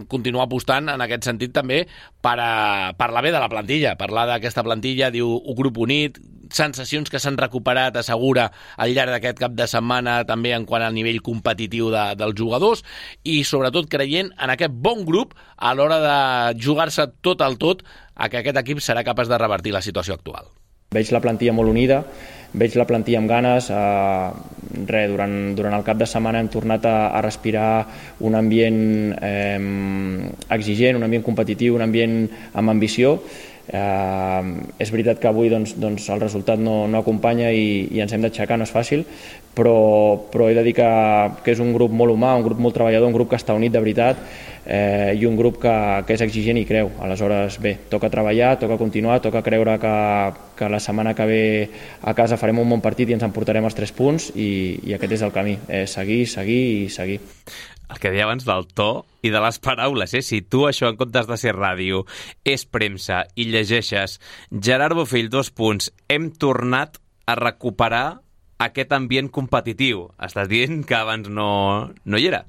continua apostant en aquest sentit també per a parlar bé de la plantilla, parlar d'aquesta plantilla, diu un grup unit, sensacions que s'han recuperat, assegura, al llarg d'aquest cap de setmana, també en quant al nivell competitiu de, dels jugadors, i sobretot creient en aquest bon grup a l'hora de jugar-se tot al tot a que aquest equip serà capaç de revertir la situació actual. Veig la plantilla molt unida, veig la plantilla amb ganes, eh, re, durant, durant el cap de setmana hem tornat a, a respirar un ambient eh, exigent, un ambient competitiu, un ambient amb ambició. Eh, és veritat que avui doncs, doncs el resultat no, no acompanya i, i ens hem d'aixecar, no és fàcil, però, però he de dir que, que és un grup molt humà, un grup molt treballador, un grup que està unit de veritat, eh, i un grup que, que és exigent i creu. Aleshores, bé, toca treballar, toca continuar, toca creure que, que la setmana que ve a casa farem un bon partit i ens emportarem els tres punts, i, i aquest és el camí, eh, seguir, seguir i seguir. El que deia abans del to i de les paraules, eh? Si tu això, en comptes de ser ràdio, és premsa i llegeixes Gerard Bofill, dos punts, hem tornat a recuperar aquest ambient competitiu. Estàs dient que abans no, no hi era.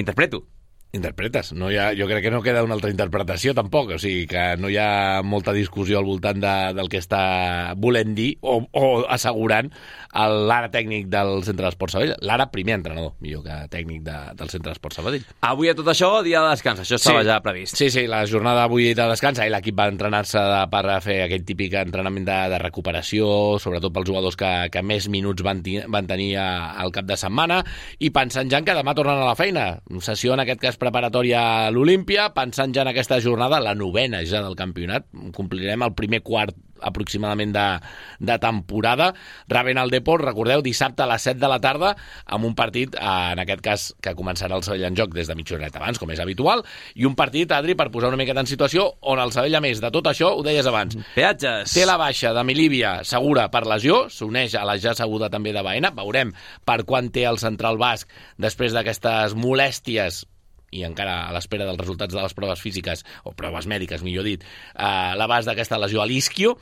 Interpreto. Interpretes. No hi ha, jo crec que no queda una altra interpretació, tampoc. O sigui, que no hi ha molta discussió al voltant de, del que està volent dir o, o assegurant l'ara tècnic del Centre d'Esport Sabadell. L'ara primer entrenador, millor que tècnic de, del Centre d'Esport Sabadell. Avui a tot això, dia de descans. Això estava sí, ja previst. Sí, sí, la jornada avui de descans. Ahir l'equip va entrenar-se per fer aquell típic entrenament de, de recuperació, sobretot pels jugadors que, que més minuts van, van tenir al cap de setmana, i pensant ja que demà tornen a la feina. Sessió, en aquest cas, preparatòria a l'Olímpia, pensant ja en aquesta jornada, la novena ja del campionat. Complirem el primer quart aproximadament de, de temporada, rebent el Depor, recordeu, dissabte a les set de la tarda, amb un partit, en aquest cas, que començarà el Sabadell en joc des de mitja horeta abans, com és habitual, i un partit, Adri, per posar una miqueta en situació, on el Sabadell, a més de tot això, ho deies abans, peatges, té la baixa de Milívia segura per lesió, s'uneix a la ja seguda també de Baena, veurem per quan té el central basc després d'aquestes molèsties i encara a l'espera dels resultats de les proves físiques, o proves mèdiques, millor dit, eh, l'abast d'aquesta lesió a l'isquio.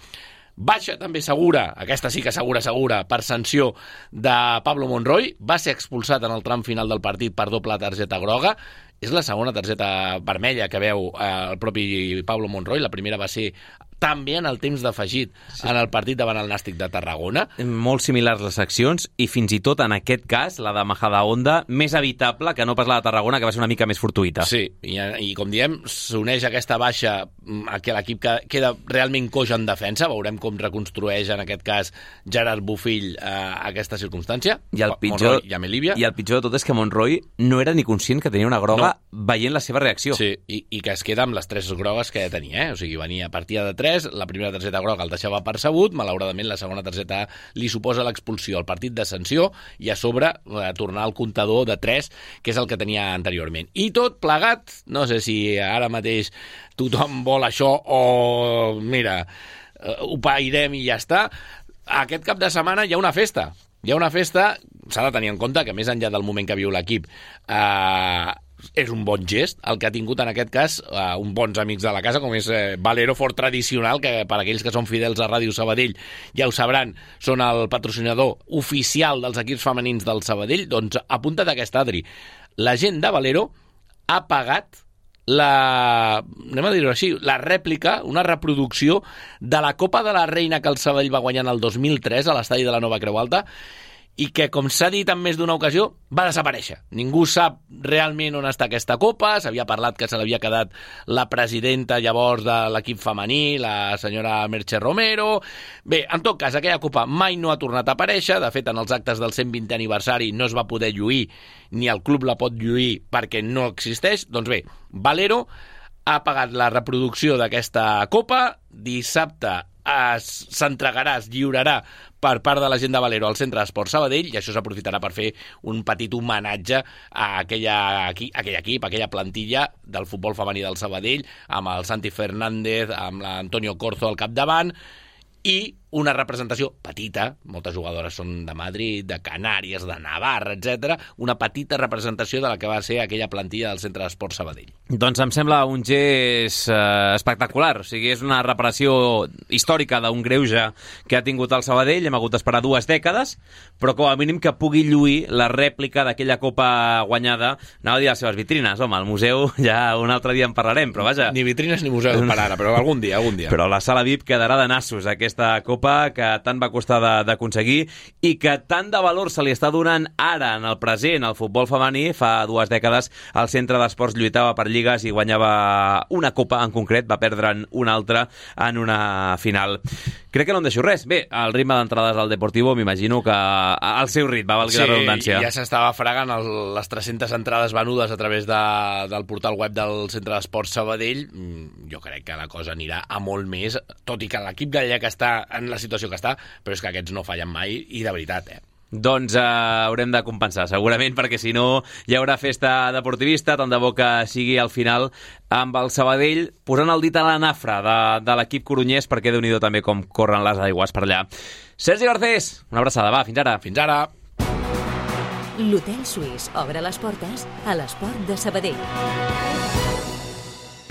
Baixa també segura, aquesta sí que segura, segura, per sanció de Pablo Monroy. Va ser expulsat en el tram final del partit per doble targeta groga. És la segona targeta vermella que veu eh, el propi Pablo Monroy. La primera va ser també en el temps d'afegit sí. en el partit davant el Nàstic de Tarragona. Molt similars les accions i fins i tot en aquest cas, la de Majadahonda, més evitable que no pas la de Tarragona, que va ser una mica més fortuïta. Sí, i, i com diem, s'uneix aquesta baixa a que l'equip queda realment coix en defensa. Veurem com reconstrueix en aquest cas Gerard Bofill eh, aquesta circumstància. I el pitjor, i Amelívia. I el pitjor de tot és que Monroy no era ni conscient que tenia una groga no. veient la seva reacció. Sí, i, i que es queda amb les tres grogues que tenia, eh? O sigui, venia a partir de tres, la primera targeta groga el deixava percebut, malauradament la segona targeta li suposa l'expulsió al partit de sanció i a sobre eh, tornar al comptador de tres, que és el que tenia anteriorment. I tot plegat, no sé si ara mateix tothom vol això o, mira, eh, ho pairem i ja està. Aquest cap de setmana hi ha una festa. Hi ha una festa, s'ha de tenir en compte que més enllà del moment que viu l'equip, eh, és un bon gest, el que ha tingut en aquest cas uh, uns bons amics de la casa, com és eh, Valero Fort Tradicional, que per aquells que són fidels a Ràdio Sabadell ja ho sabran, són el patrocinador oficial dels equips femenins del Sabadell. Doncs apunta't aquesta, Adri. La gent de Valero ha pagat la, anem a dir-ho així, la rèplica, una reproducció de la Copa de la Reina que el Sabadell va guanyar en el dos mil tres a l'estadi de la Nova Creu Alta, i que, com s'ha dit en més d'una ocasió, va desaparèixer. Ningú sap realment on està aquesta copa. S'havia parlat que se l'havia quedat la presidenta llavors de l'equip femení, la senyora Merche Romero. Bé, en tot cas, aquella copa mai no ha tornat a aparèixer. De fet, en els actes del cent vintè aniversari no es va poder lluir, ni el club la pot lluir perquè no existeix. Doncs bé, Valero ha pagat la reproducció d'aquesta copa. Dissabte s'entregarà, es lliurarà per part de la gent de Valero al Centre d'Esport Sabadell, i això s'aprofitarà per fer un petit homenatge a aquella, a aquell equip, a aquella plantilla del futbol femení del Sabadell, amb el Santi Fernández, amb l'Antonio Corzo al capdavant, i una representació petita, moltes jugadores són de Madrid, de Canàries, de Navarra, etcètera, una petita representació de la que va ser aquella plantilla del Centre d'Esport Sabadell. Doncs em sembla un gest eh, espectacular, o sigui, és una reparació històrica d'un greuge que ha tingut el Sabadell. Hem hagut d'esperar dues dècades, però com a mínim que pugui lluir la rèplica d'aquella copa guanyada, anava a dir a les seves vitrines, home, al museu ja un altre dia en parlarem, però vaja... Ni vitrines ni museu per ara, però algun dia, algun dia. Però la sala V I P quedarà de nassos, aquesta copa que tant va costar d'aconseguir i que tant de valor se li està donant ara en el present al futbol femení. Fa dues dècades el Centre d'Esports lluitava per lligues i guanyava una copa en concret, va perdre'n una altra en una final. Crec que no em deixo res. Bé, el ritme d'entrades al Deportivo m'imagino que al seu ritme, valgui sí, la redundància. Ja s'estava fregant el, les tres-centes entrades venudes a través de, del portal web del Centre d'Esports Sabadell. Jo crec que la cosa anirà a molt més, tot i que l'equip gallec està en la situació que està, però és que aquests no fallen mai, i de veritat, eh? Doncs eh, haurem de compensar, segurament, perquè si no hi haurà festa deportivista, tant de bo que sigui al final amb el Sabadell posant el dit a la nafra de, de l'equip corunyès, perquè Déu-n'hi-do també com corren les aigües per allà. Sergi Garcés, una abraçada, va, fins ara. Fins ara. L'Hotel Suís obre les portes a l'esport de Sabadell.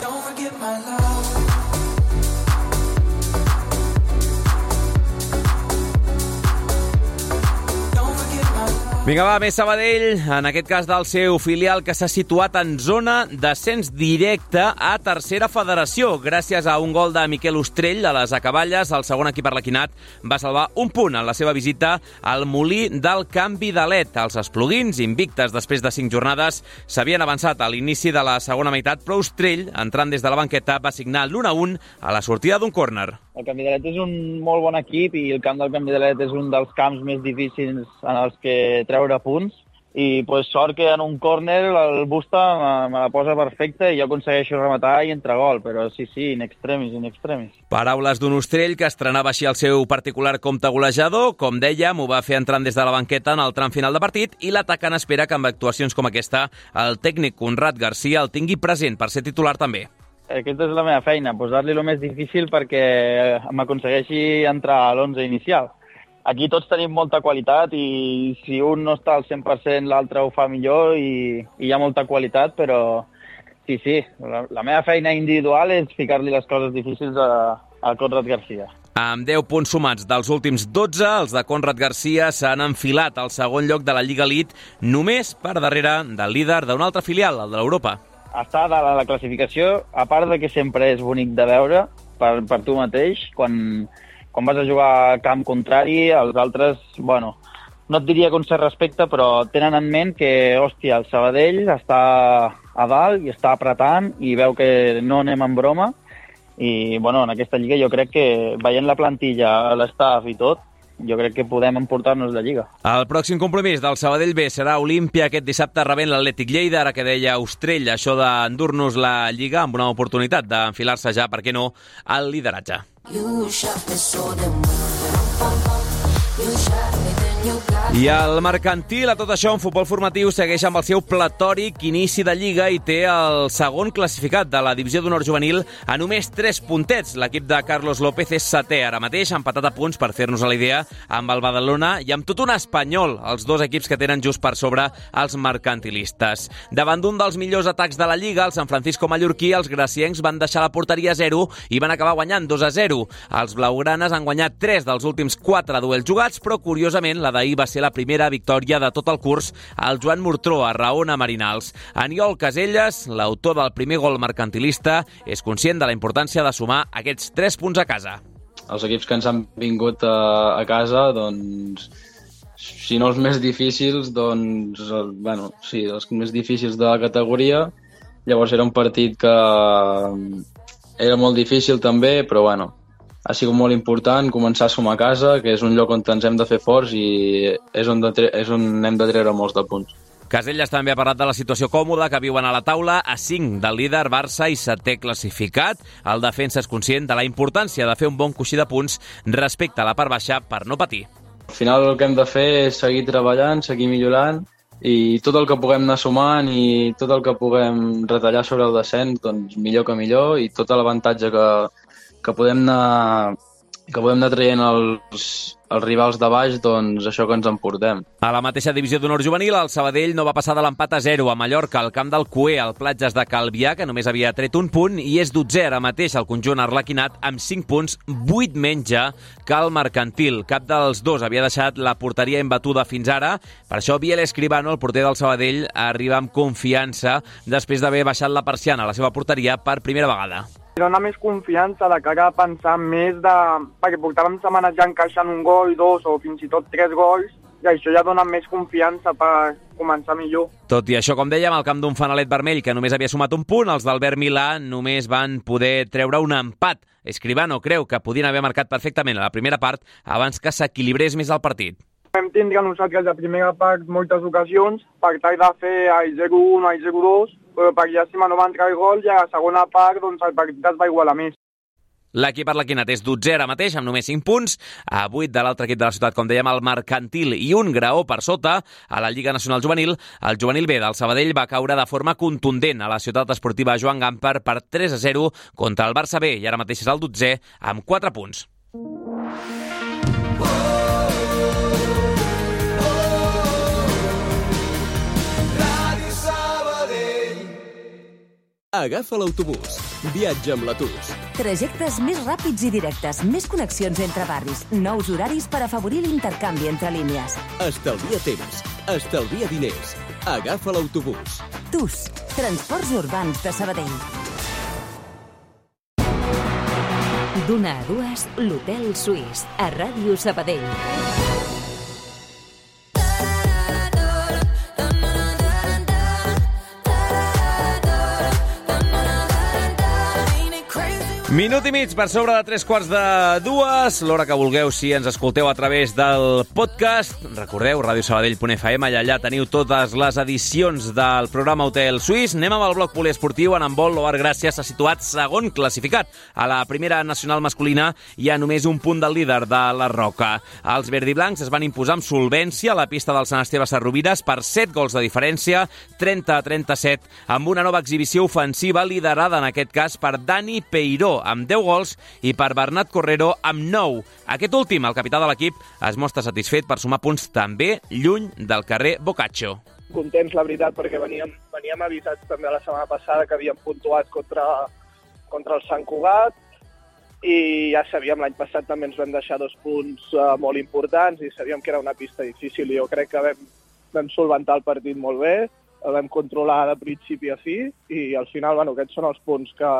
Don't forget my love. Vinga, va, més Sabadell, en aquest cas del seu filial, que s'ha situat en zona d'ascens directe a tercera federació. Gràcies a un gol de Miquel Ostrell a les acaballes, el segon equip arlequinat va salvar un punt en la seva visita al Molí del Canvi de Let. Els espluguins, invictes després de cinc jornades, s'havien avançat a l'inici de la segona meitat, però Ostrell, entrant des de la banqueta, va signar l'u a un a la sortida d'un córner. El Canvi de Let és un molt bon equip i el camp del Canvi de Let és un dels camps més difícils en els que treure punts, i pues, sort que en un córner el Busta me, me la posa perfecta i jo aconsegueixo rematar i entrar gol, però sí, sí, in extremis, in extremis. Paraules d'un Ostrell que estrenava així el seu particular compte golejador. Com dèiem, ho va fer entrant des de la banqueta en el tram final de partit, i l'atacant espera que amb actuacions com aquesta el tècnic Conrad Garcia el tingui present per ser titular també. Aquesta és la meva feina, posar-li el més difícil perquè m'aconsegueixi entrar a l'onze inicial. Aquí tots tenim molta qualitat i si un no està al cent per cent l'altre ho fa millor i, i hi ha molta qualitat, però sí, sí, la, la meva feina individual és ficar-li les coses difícils a, a Conrad Garcia. Amb deu punts sumats dels últims dotze, els de Conrad Garcia s'han enfilat al segon lloc de la Lliga Elite, només per darrere del líder d'un altre filial, el de l'Europa. Està dalt a la classificació, a part de que sempre és bonic de veure, per, per tu mateix. Quan, quan vas a jugar a camp contrari, els altres, bueno, no et diria con cert respecte, però tenen en ment que, hòstia, el Sabadell està a dalt i està apretant i veu que no anem en broma. I, bueno, en aquesta lliga jo crec que, veient la plantilla, l'estaf i tot, jo crec que podem emportar-nos la lliga. El pròxim compromís del Sabadell B serà Olímpia aquest dissabte rebent l'Atlètic Lleida, ara que deia Ostrell, això d'endur-nos la lliga amb una oportunitat d'enfilar-se ja, per què no, al lideratge. I el Mercantil, a tot això, en futbol formatiu, segueix amb el seu platòric inici de Lliga i té el segon classificat de la divisió d'honor juvenil a només tres puntets. L'equip de Carlos López és setè ara mateix, empatat a punts, per fer-nos a la idea, amb el Badalona i amb tot un Espanyol, els dos equips que tenen just per sobre els mercantilistes. Davant d'un dels millors atacs de la Lliga, el San Francisco mallorquí, els graciencs van deixar la porteria a zero i van acabar guanyant dos a zero. Els blaugranes han guanyat tres dels últims quatre duels jugats, però curiosament la d'ahir va ser la primera victòria de tot el curs al Joan Murtró, a Raona Marinals. Aniol Caselles, l'autor del primer gol mercantilista, és conscient de la importància de sumar aquests tres punts a casa. Els equips que ens han vingut a, a casa, doncs, si no els més difícils, doncs, bueno, sí, els més difícils de la categoria. Llavors era un partit que era molt difícil també, però bueno, ha sigut molt important començar a sumar a casa, que és un lloc on ens hem de fer forts i és on, de tre- és on hem de treure molts de punts. Caselles també ha parlat de la situació còmoda que viuen a la taula a cinc del líder Barça i setè classificat. El defensa és conscient de la importància de fer un bon coixí de punts respecte a la part baixa per no patir. Al final el que hem de fer és seguir treballant, seguir millorant i tot el que puguem anar sumant i tot el que puguem retallar sobre el descens, doncs millor que millor, i tot l'avantatge que que podem anar, que podem anar traient els, els rivals de baix, doncs això que ens emportem. A la mateixa divisió d'honor juvenil, el Sabadell no va passar de l'empat a zero a Mallorca, al camp del Cué, al Platges de Calvià, que només havia tret un punt, i és dotzè ara mateix el conjunt arlequinat amb cinc punts, vuit menys ja que el Mercantil. Cap dels dos havia deixat la porteria imbatuda fins ara, per això Biel Escribano, el porter del Sabadell, arriba amb confiança després d'haver baixat la persiana a la seva porteria per primera vegada. Dona més confiança de cara a pensar més de... perquè portàvem setmanes ja encaixant un gol, dos o fins i tot tres gols, i això ja dona més confiança per començar millor. Tot i això, com dèiem, al camp d'un fanalet vermell que només havia sumat un punt, els d'Albert Milà només van poder treure un empat. Escribano creu que podien haver marcat perfectament a la primera part abans que s'equilibrés més el partit. Vam tindre nosaltres a primera part moltes ocasions per tal de fer el zero un o el zero dos, però per llàstima no va entrar el gol i a la segona part doncs, el partit es va igualar més. L'equip arlequinat és dotzè ara mateix, amb només cinc punts, a vuit de l'altre equip de la ciutat, com dèiem, el Mercantil, i un graó per sota. A la Lliga Nacional Juvenil, el juvenil B del Sabadell va caure de forma contundent a la ciutat esportiva Joan Gamper per tres a zero contra el Barça B, i ara mateix és el dotzè amb quatre punts. Agafa l'autobús. Viatja amb l'Atus. Trajectes més ràpids i directes, més connexions entre barris, nous horaris per afavorir l'intercanvi entre línies. Estalvia temps, estalvia diners. Agafa l'autobús. Tus, Transports Urbans de Sabadell. D'una a dues, l'Hotel Suís, a Ràdio Sabadell. Minut i mig per sobre de tres quarts de dues, l'hora que vulgueu si ens escolteu a través del podcast. Recordeu, radiosabadell punt f m, i allà teniu totes les edicions del programa Hotel Suís. Anem amb el bloc poliesportiu. En handbol, l'Oar Gràcia s'ha situat segon classificat a la primera nacional masculina i a només un punt del líder de la Roca. Els verdiblancs es van imposar amb solvència a la pista del Sant Esteve Sarrovires per set gols de diferència, trenta a trenta-set, amb una nova exhibició ofensiva liderada en aquest cas per Dani Peiró, amb deu gols, i per Bernat Correro amb nou. Aquest últim, el capità de l'equip, es mostra satisfet per sumar punts també lluny del carrer Boccaccio. Contents, la veritat, perquè veníem, veníem avisats també la setmana passada que havíem puntuat contra, contra el Sant Cugat, i ja sabíem, l'any passat també ens vam deixar dos punts uh, molt importants i sabíem que era una pista difícil, i jo crec que vam, vam solventar el partit molt bé, el vam controlar de principi a fi, i al final, bueno, aquests són els punts que,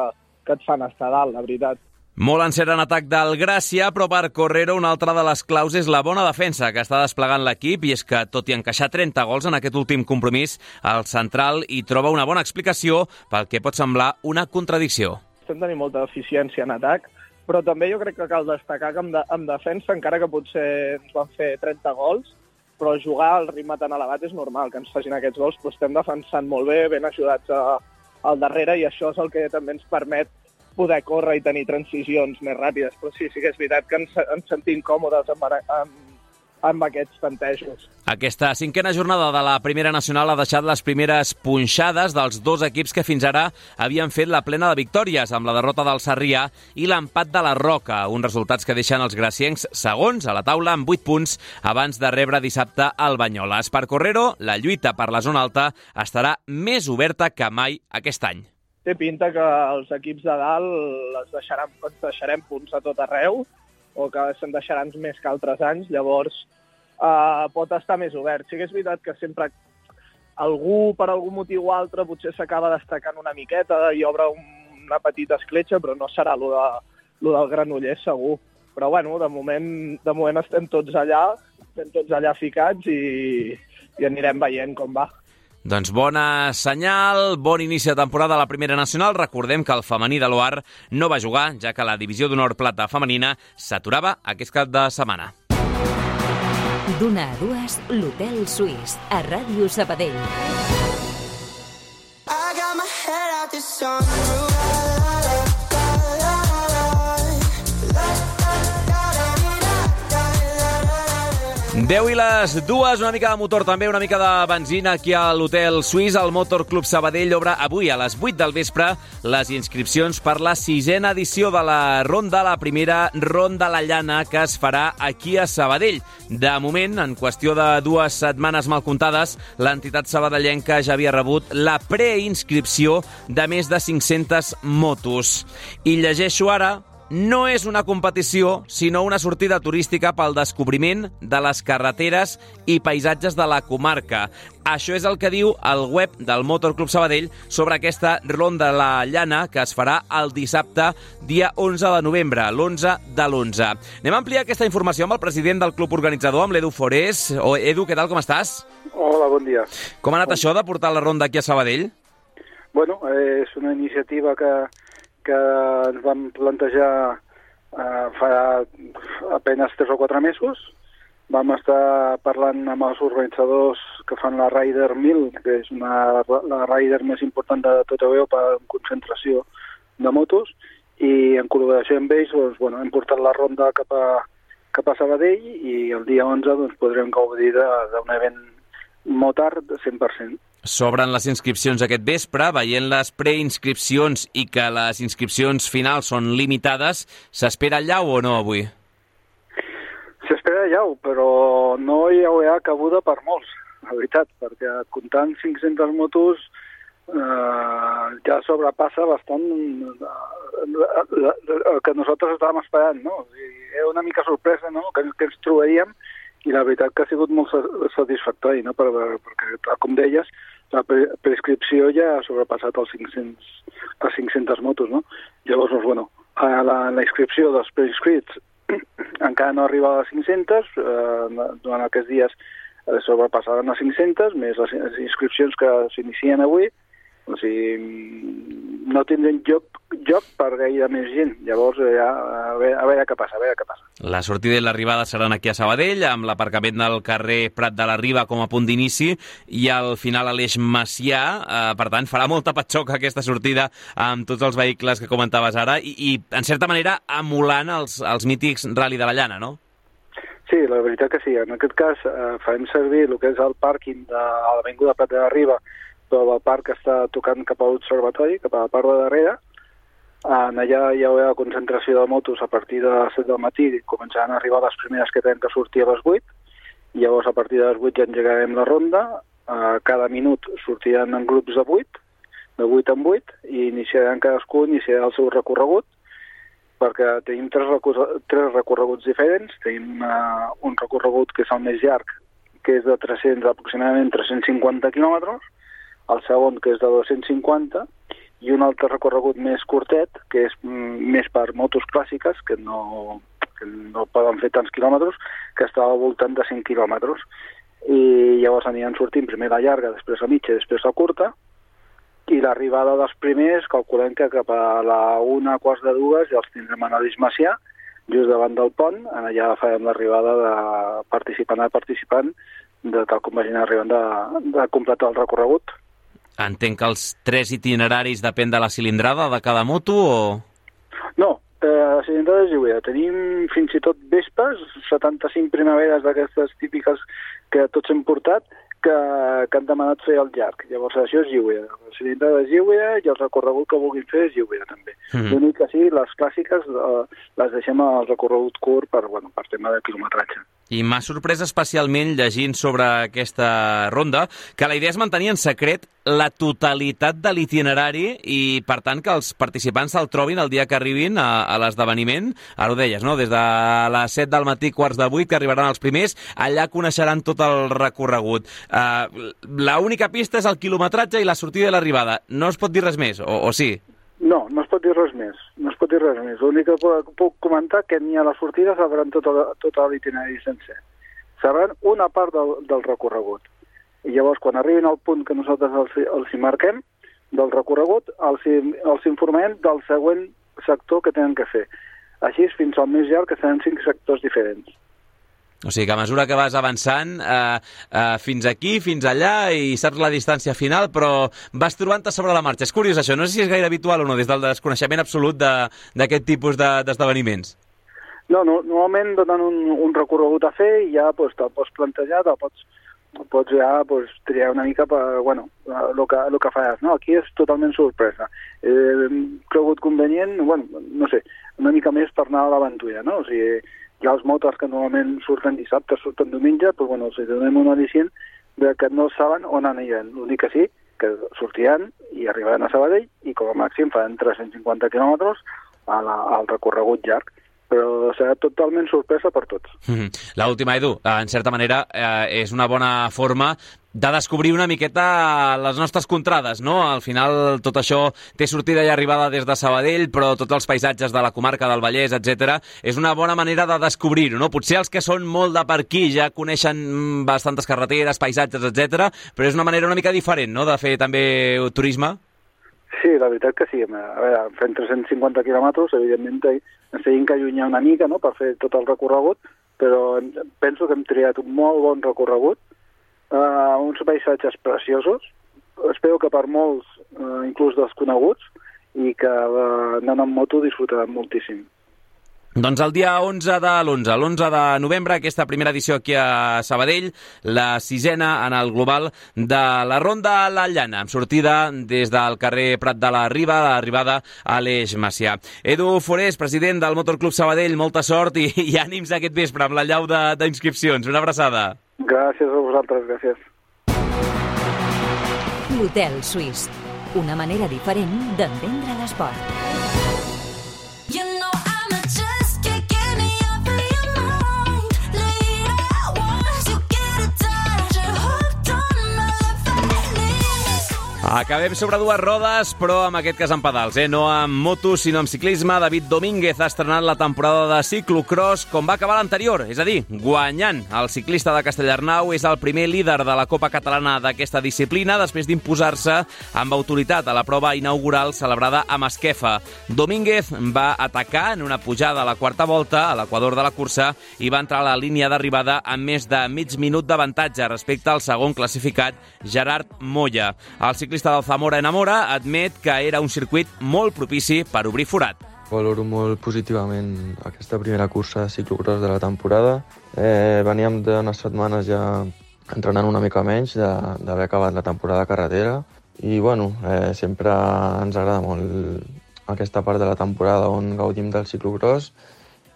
que et fan estar dalt, la veritat. Molt encert en atac del Gràcia, però per Correro una altra de les claus és la bona defensa que està desplegant l'equip, i és que, tot i encaixar trenta gols en aquest últim compromís, el central hi troba una bona explicació pel que pot semblar una contradicció. Estem tenint molta eficiència en atac, però també jo crec que cal destacar que en, de, en defensa, encara que potser ens van fer trenta gols, però jugar al ritme tan elevat és normal que ens facin aquests gols, però estem defensant molt bé, ben ajudats a, al darrere, i això és el que també ens permet poder córrer i tenir transicions més ràpides. Però sí, sí que és veritat que ens, ens sentim còmodes amb, amb, amb aquests tantejos. Aquesta cinquena jornada de la Primera Nacional ha deixat les primeres punxades dels dos equips que fins ara havien fet la plena de victòries, amb la derrota del Sarrià i l'empat de la Roca, uns resultats que deixen els graciencs segons a la taula amb vuit punts abans de rebre dissabte el Banyoles. Per Correro, la lluita per la zona alta estarà més oberta que mai aquest any. Té pinta que els equips de dalt es deixaran, ens deixarem punts a tot arreu, o que se'n deixaran més que altres anys, llavors eh, pot estar més obert. Sí que és veritat que sempre algú, per algun motiu o altre, potser s'acaba destacant una miqueta i obre un, una petita escletxa, però no serà lo, de, lo del Granollers segur. Però bueno, de moment, de moment estem tots allà, estem tots allà ficats i, i anirem veient com va. Doncs bona senyal, bon inici de temporada a la Primera Nacional. Recordem que el femení de l'O A R no va jugar, ja que la divisió d'honor plata femenina s'aturava aquest cap de setmana. D'una a dues, l'Hotel Suís, a Ràdio Sabadell. I got my head out the sunroof. deu i les dues, una mica de motor també, una mica de benzina aquí a l'Hotel Suís. El Motor Club Sabadell obre avui a les vuit del vespre les inscripcions per la sisena edició de la ronda, la primera ronda a la llana que es farà aquí a Sabadell. De moment, en qüestió de dues setmanes mal comptades, l'entitat sabadellenca ja havia rebut la preinscripció de més de cinc-centes motos. I llegeixo ara: no és una competició, sinó una sortida turística pel descobriment de les carreteres i paisatges de la comarca. Això és el que diu el web del Motor Club Sabadell sobre aquesta ronda a la llana que es farà el dissabte, dia onze de novembre, l'onze de l'onze. Anem a ampliar aquesta informació amb el president del club organitzador, amb l'Edu Forés. Oh, Edu, què tal, com estàs? Hola, bon dia. Com ha anat bon... això de portar la ronda aquí a Sabadell? Bueno, eh, és una iniciativa que... que ens vam plantejar eh, fa apenas tres o quatre mesos. Vam estar parlant amb els organitzadors que fan la Rider mil, que és una, la Rider més important de tota Europa en concentració de motos, i en col·laboració amb ells doncs, bueno, hem portat la ronda cap a, cap a Sabadell, i el dia onze doncs, podrem gaudir d'un event motard cent per cent. S'obren les inscripcions aquest vespre, veient les preinscripcions i que les inscripcions finals són limitades. S'espera llau o no avui? S'espera llau, però no hi haurà cabuda per molts, la veritat, perquè comptant cinc-centes motos eh, ja sobrepassa bastant el que nosaltres estàvem esperant, no? Era una mica sorpresa, no?, que, que ens trobaríem, i la veritat que ha sigut molt satisfactori, no?, per, perquè, com deies, la prescripció ja ha sobrepassat els cinc-cents, les cinc-centes motos, no? Llavors, doncs, bueno, la, la inscripció dels preinscrits encara no arriba a les cinc-centes, eh, durant aquests dies eh, sobrepassaran les cinc-centes, més les, les inscripcions que s'inicien avui, o sigui, no tindrem lloc, lloc per gaire més gent. Llavors, ja, a, veure, a veure què passa, a veure què passa. La sortida i l'arribada seran aquí a Sabadell, amb l'aparcament del carrer Prat de la Riba com a punt d'inici, i al final a l'Eix Macià. Eh, per tant, farà molta patxoca aquesta sortida amb tots els vehicles que comentaves ara, i, i en certa manera, emulant els, els mítics Rally de la Llana, no? Sí, la veritat que sí. En aquest cas, eh, farem servir el que és el pàrquing de l'Avinguda Prat de la Riba, però el parc està tocant cap a l'observatori, cap a la part de darrere. En allà hi haurà concentració de motos a partir de les set del matí, començaran a arribar les primeres que tenen que sortir a les vuit, i llavors a partir de les vuit ja engegarem la ronda. Cada minut sortiran en grups de vuit, de vuit en vuit, i iniciaran cadascú, iniciarà el seu recorregut, perquè tenim tres, recor tres recorreguts diferents. Tenim uh, un recorregut que és el més llarg, que és de tres-cents, aproximadament tres-cents cinquanta quilòmetres, el segon, que és de dos-cents cinquanta, i un altre recorregut més curtet, que és més per motos clàssiques, que no, que no poden fer tants quilòmetres, que estava al voltant de cent quilòmetres. I llavors aniran sortint primer la llarga, després la mitja i després la curta, i l'arribada dels primers calculem que cap a la una, quarts de dues, ja els tindrem a l'Eix Macià, just davant del pont, allà farem l'arribada de participant a participant, de tal com vagin arribant de, de completar el recorregut. Entenc que els tres itineraris depèn de la cilindrada de cada moto o...? No, eh, la cilindrada és lliure. Tenim fins i tot Vespes, setanta-cinc primaveres d'aquestes típiques que tots hem portat, que, que han demanat fer el llarg. Llavors això és lliure. La cilindrada és lliure i el recorregut que vulguin fer és lliure també. Mm-hmm. L'únic que sí, les clàssiques eh, les deixem al recorregut curt per, bueno, per tema de quilometratge. I m'ha sorprès especialment llegint sobre aquesta ronda que la idea és mantenir en secret la totalitat de l'itinerari i, per tant, que els participants se'l trobin el dia que arribin a, a l'esdeveniment. Ara ho deies, no? Des de les set del matí, quarts de vuit, que arribaran els primers, allà coneixeran tot el recorregut. Uh, l'única pista és el quilometratge i la sortida i l'arribada. No es pot dir res més, o, o sí? No, no es pot dir res més. No es pot dir res més. L'únic que puc comentar que ni a la sortida sabran tot, tot l'itinerari sencer. Sabran una part del, del recorregut. I llavors, quan arribin al punt que nosaltres els, els hi marquem del recorregut, els, els informem del següent sector que tenen que fer. Així fins al més llarg, que seran cinc sectors diferents. O sigui que a mesura que vas avançant eh, eh, fins aquí, fins allà, i saps la distància final, però vas trobant-te sobre la marxa. És curiós això, no sé si és gaire habitual o no, des del desconeixement absolut d'aquest de, tipus d'esdeveniments. De, no, no, normalment donen un, un recorregut a fer i ja pues, te'l pots plantejar, te'l pots, pots ja pues, triar una mica per, bueno, el que, lo que faràs. No? Aquí és totalment sorpresa. He cregut convenient, bueno, no sé, una mica més per anar a l'aventura, no? O sigui, hi ha els motors que normalment surten dissabte, surten diumenge, però bueno, els donem un al·licient de que no saben on aniran. L'únic que sí, que sortiran i arribaran a Sabadell i com a màxim faran tres-cents cinquanta quilòmetres a la, al recorregut llarg. Però serà totalment sorpresa per tots. Mm-hmm. L'última, Edu, en certa manera eh, és una bona forma de descobrir una miqueta les nostres contrades, no? Al final tot això té sortida i arribada des de Sabadell, però tots els paisatges de la comarca del Vallès, etcètera, és una bona manera de descobrir-ho, no? Potser els que són molt de per aquí ja coneixen bastantes carreteres, paisatges, etcètera, però és una manera una mica diferent, no?, de fer també turisme. Sí, la veritat que sí. A veure, fent tres-cents cinquanta quilòmetres, evidentment ens tenim que allunyar una mica, no?, per fer tot el recorregut, però penso que hem triat un molt bon recorregut, uh, uns paisatges preciosos, espero que per molts, uh, inclús desconeguts, i que uh, anant amb moto disfrutaran moltíssim. Doncs el dia onze de l'onze, l'onze de novembre, aquesta primera edició aquí a Sabadell, la sisena en el global de la Ronda La Llana, amb sortida des del carrer Prat de la Riba, l'arribada a l'Eix Macià. Edu Forés, president del Motorclub Sabadell, molta sort i, i ànims aquest vespre amb la llau d'inscripcions. Una abraçada. Gràcies a vosaltres, gràcies. L'Hotel Suís, una manera diferent d'entendre l'esport. Acabem sobre dues rodes, però en aquest cas amb pedals, eh? No amb motos, sinó amb ciclisme. David Domínguez ha estrenat la temporada de ciclocross com va acabar l'anterior, és a dir, guanyant. El ciclista de Castellarnau és el primer líder de la Copa Catalana d'aquesta disciplina després d'imposar-se amb autoritat a la prova inaugural celebrada a Masquefa. Domínguez va atacar en una pujada a la quarta volta a l'equador de la cursa i va entrar a la línia d'arribada amb més de mig minut d'avantatge respecte al segon classificat, Gerard Moya. El ciclista del Zamora Enamora admet que era un circuit molt propici per obrir forat. Valoro molt positivament aquesta primera cursa de ciclocross de la temporada. Eh, veníem d'unes setmanes ja entrenant una mica menys d'haver acabat la temporada de carretera i bueno, eh, sempre ens agrada molt aquesta part de la temporada on gaudim del ciclocross.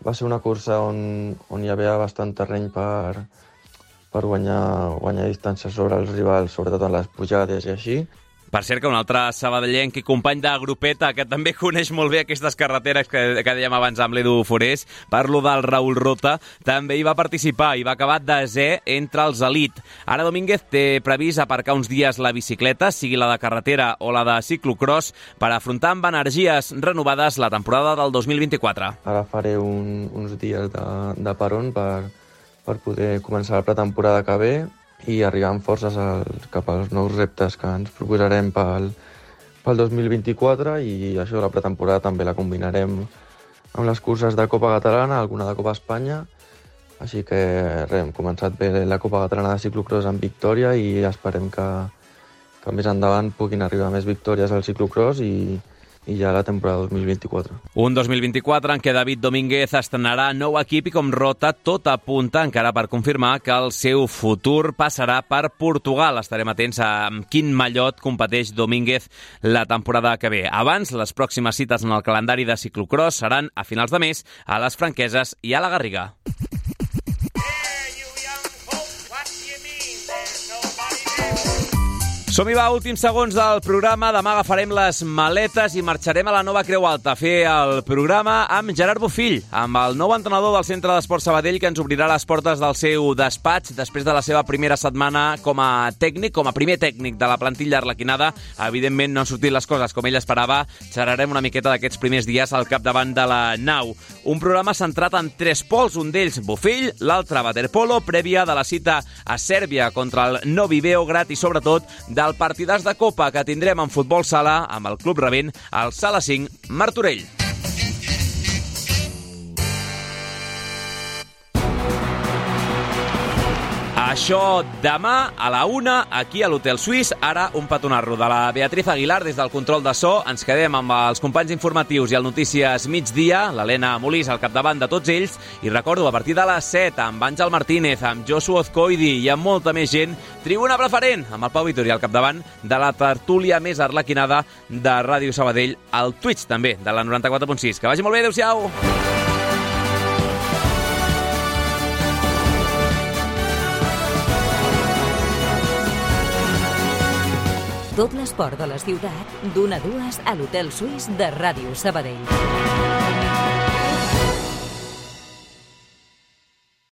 Va ser una cursa on, on hi havia bastant terreny per, per guanyar, guanyar distàncies sobre els rivals, sobretot en les pujades i així. Per cert, que un altre sabadellenc i company de grupeta que també coneix molt bé aquestes carreteres que, que dèiem abans amb l'Edu Forés, parlo del Raül Rota, també hi va participar i va acabar desè entre els elit. Ara Domínguez té previst aparcar uns dies la bicicleta, sigui la de carretera o la de ciclocross, per afrontar amb energies renovades la temporada del dos mil vint-i-quatre. Ara faré un, uns dies de, de peron per, per poder començar la pretemporada que ve i arribar amb forces al, cap als nous reptes que ens proposarem pel, pel dos mil vint-i-quatre, i això, la pretemporada també la combinarem amb les curses de Copa Catalana, alguna de Copa Espanya, així que res, hem començat bé la Copa Catalana de ciclocross amb victòria i esperem que, que més endavant puguin arribar més victòries al ciclocross i, i ja la temporada dos mil vint-i-quatre. Un dos mil vint-i-quatre en què David Domínguez estrenarà nou equip i, com Rota, tot apunta encara per confirmar que el seu futur passarà per Portugal. Estarem atents a amb quin mallot competeix Domínguez la temporada que ve. Abans, les pròximes cites en el calendari de ciclocross seran a finals de mes a les Franqueses i a la Garriga. Som-hi, va, últims segons del programa. Demà agafarem les maletes i marxarem a la nova Creu Alta a fer el programa amb Gerard Bofill, amb el nou entrenador del Centre d'Esport Sabadell, que ens obrirà les portes del seu despatx després de la seva primera setmana com a tècnic, com a primer tècnic de la plantilla arlequinada. Evidentment no han sortit les coses com ell esperava. Xerrarem una miqueta d'aquests primers dies al capdavant de la nau. Un programa centrat en tres pols, un d'ells Bofill, l'altre waterpolo, prèvia de la cita a Sèrbia contra el Novi Beograd i, sobretot, del partidàs de Copa que tindrem en futbol sala amb el Club Rebent al Sala cinc Martorell. Això demà a la una, aquí a l'Hotel Suís. Ara un petonarro de la Beatriz Aguilar des del control de so. Ens quedem amb els companys informatius i el Notícies Migdia, l'Helena Molís al capdavant de tots ells. I recordo, a partir de les set, amb Àngel Martínez, amb Josu Ozcoidi i amb molta més gent, Tribuna Preferent, amb el Pau Vitori al capdavant de la tertúlia més arlequinada de Ràdio Sabadell, al Twitch també, de la noranta-quatre punt sis. Que vagi molt bé, adeu-siau! Tot l'esport de la ciutat, d'una a dues a l'Hotel Suís de Ràdio Sabadell.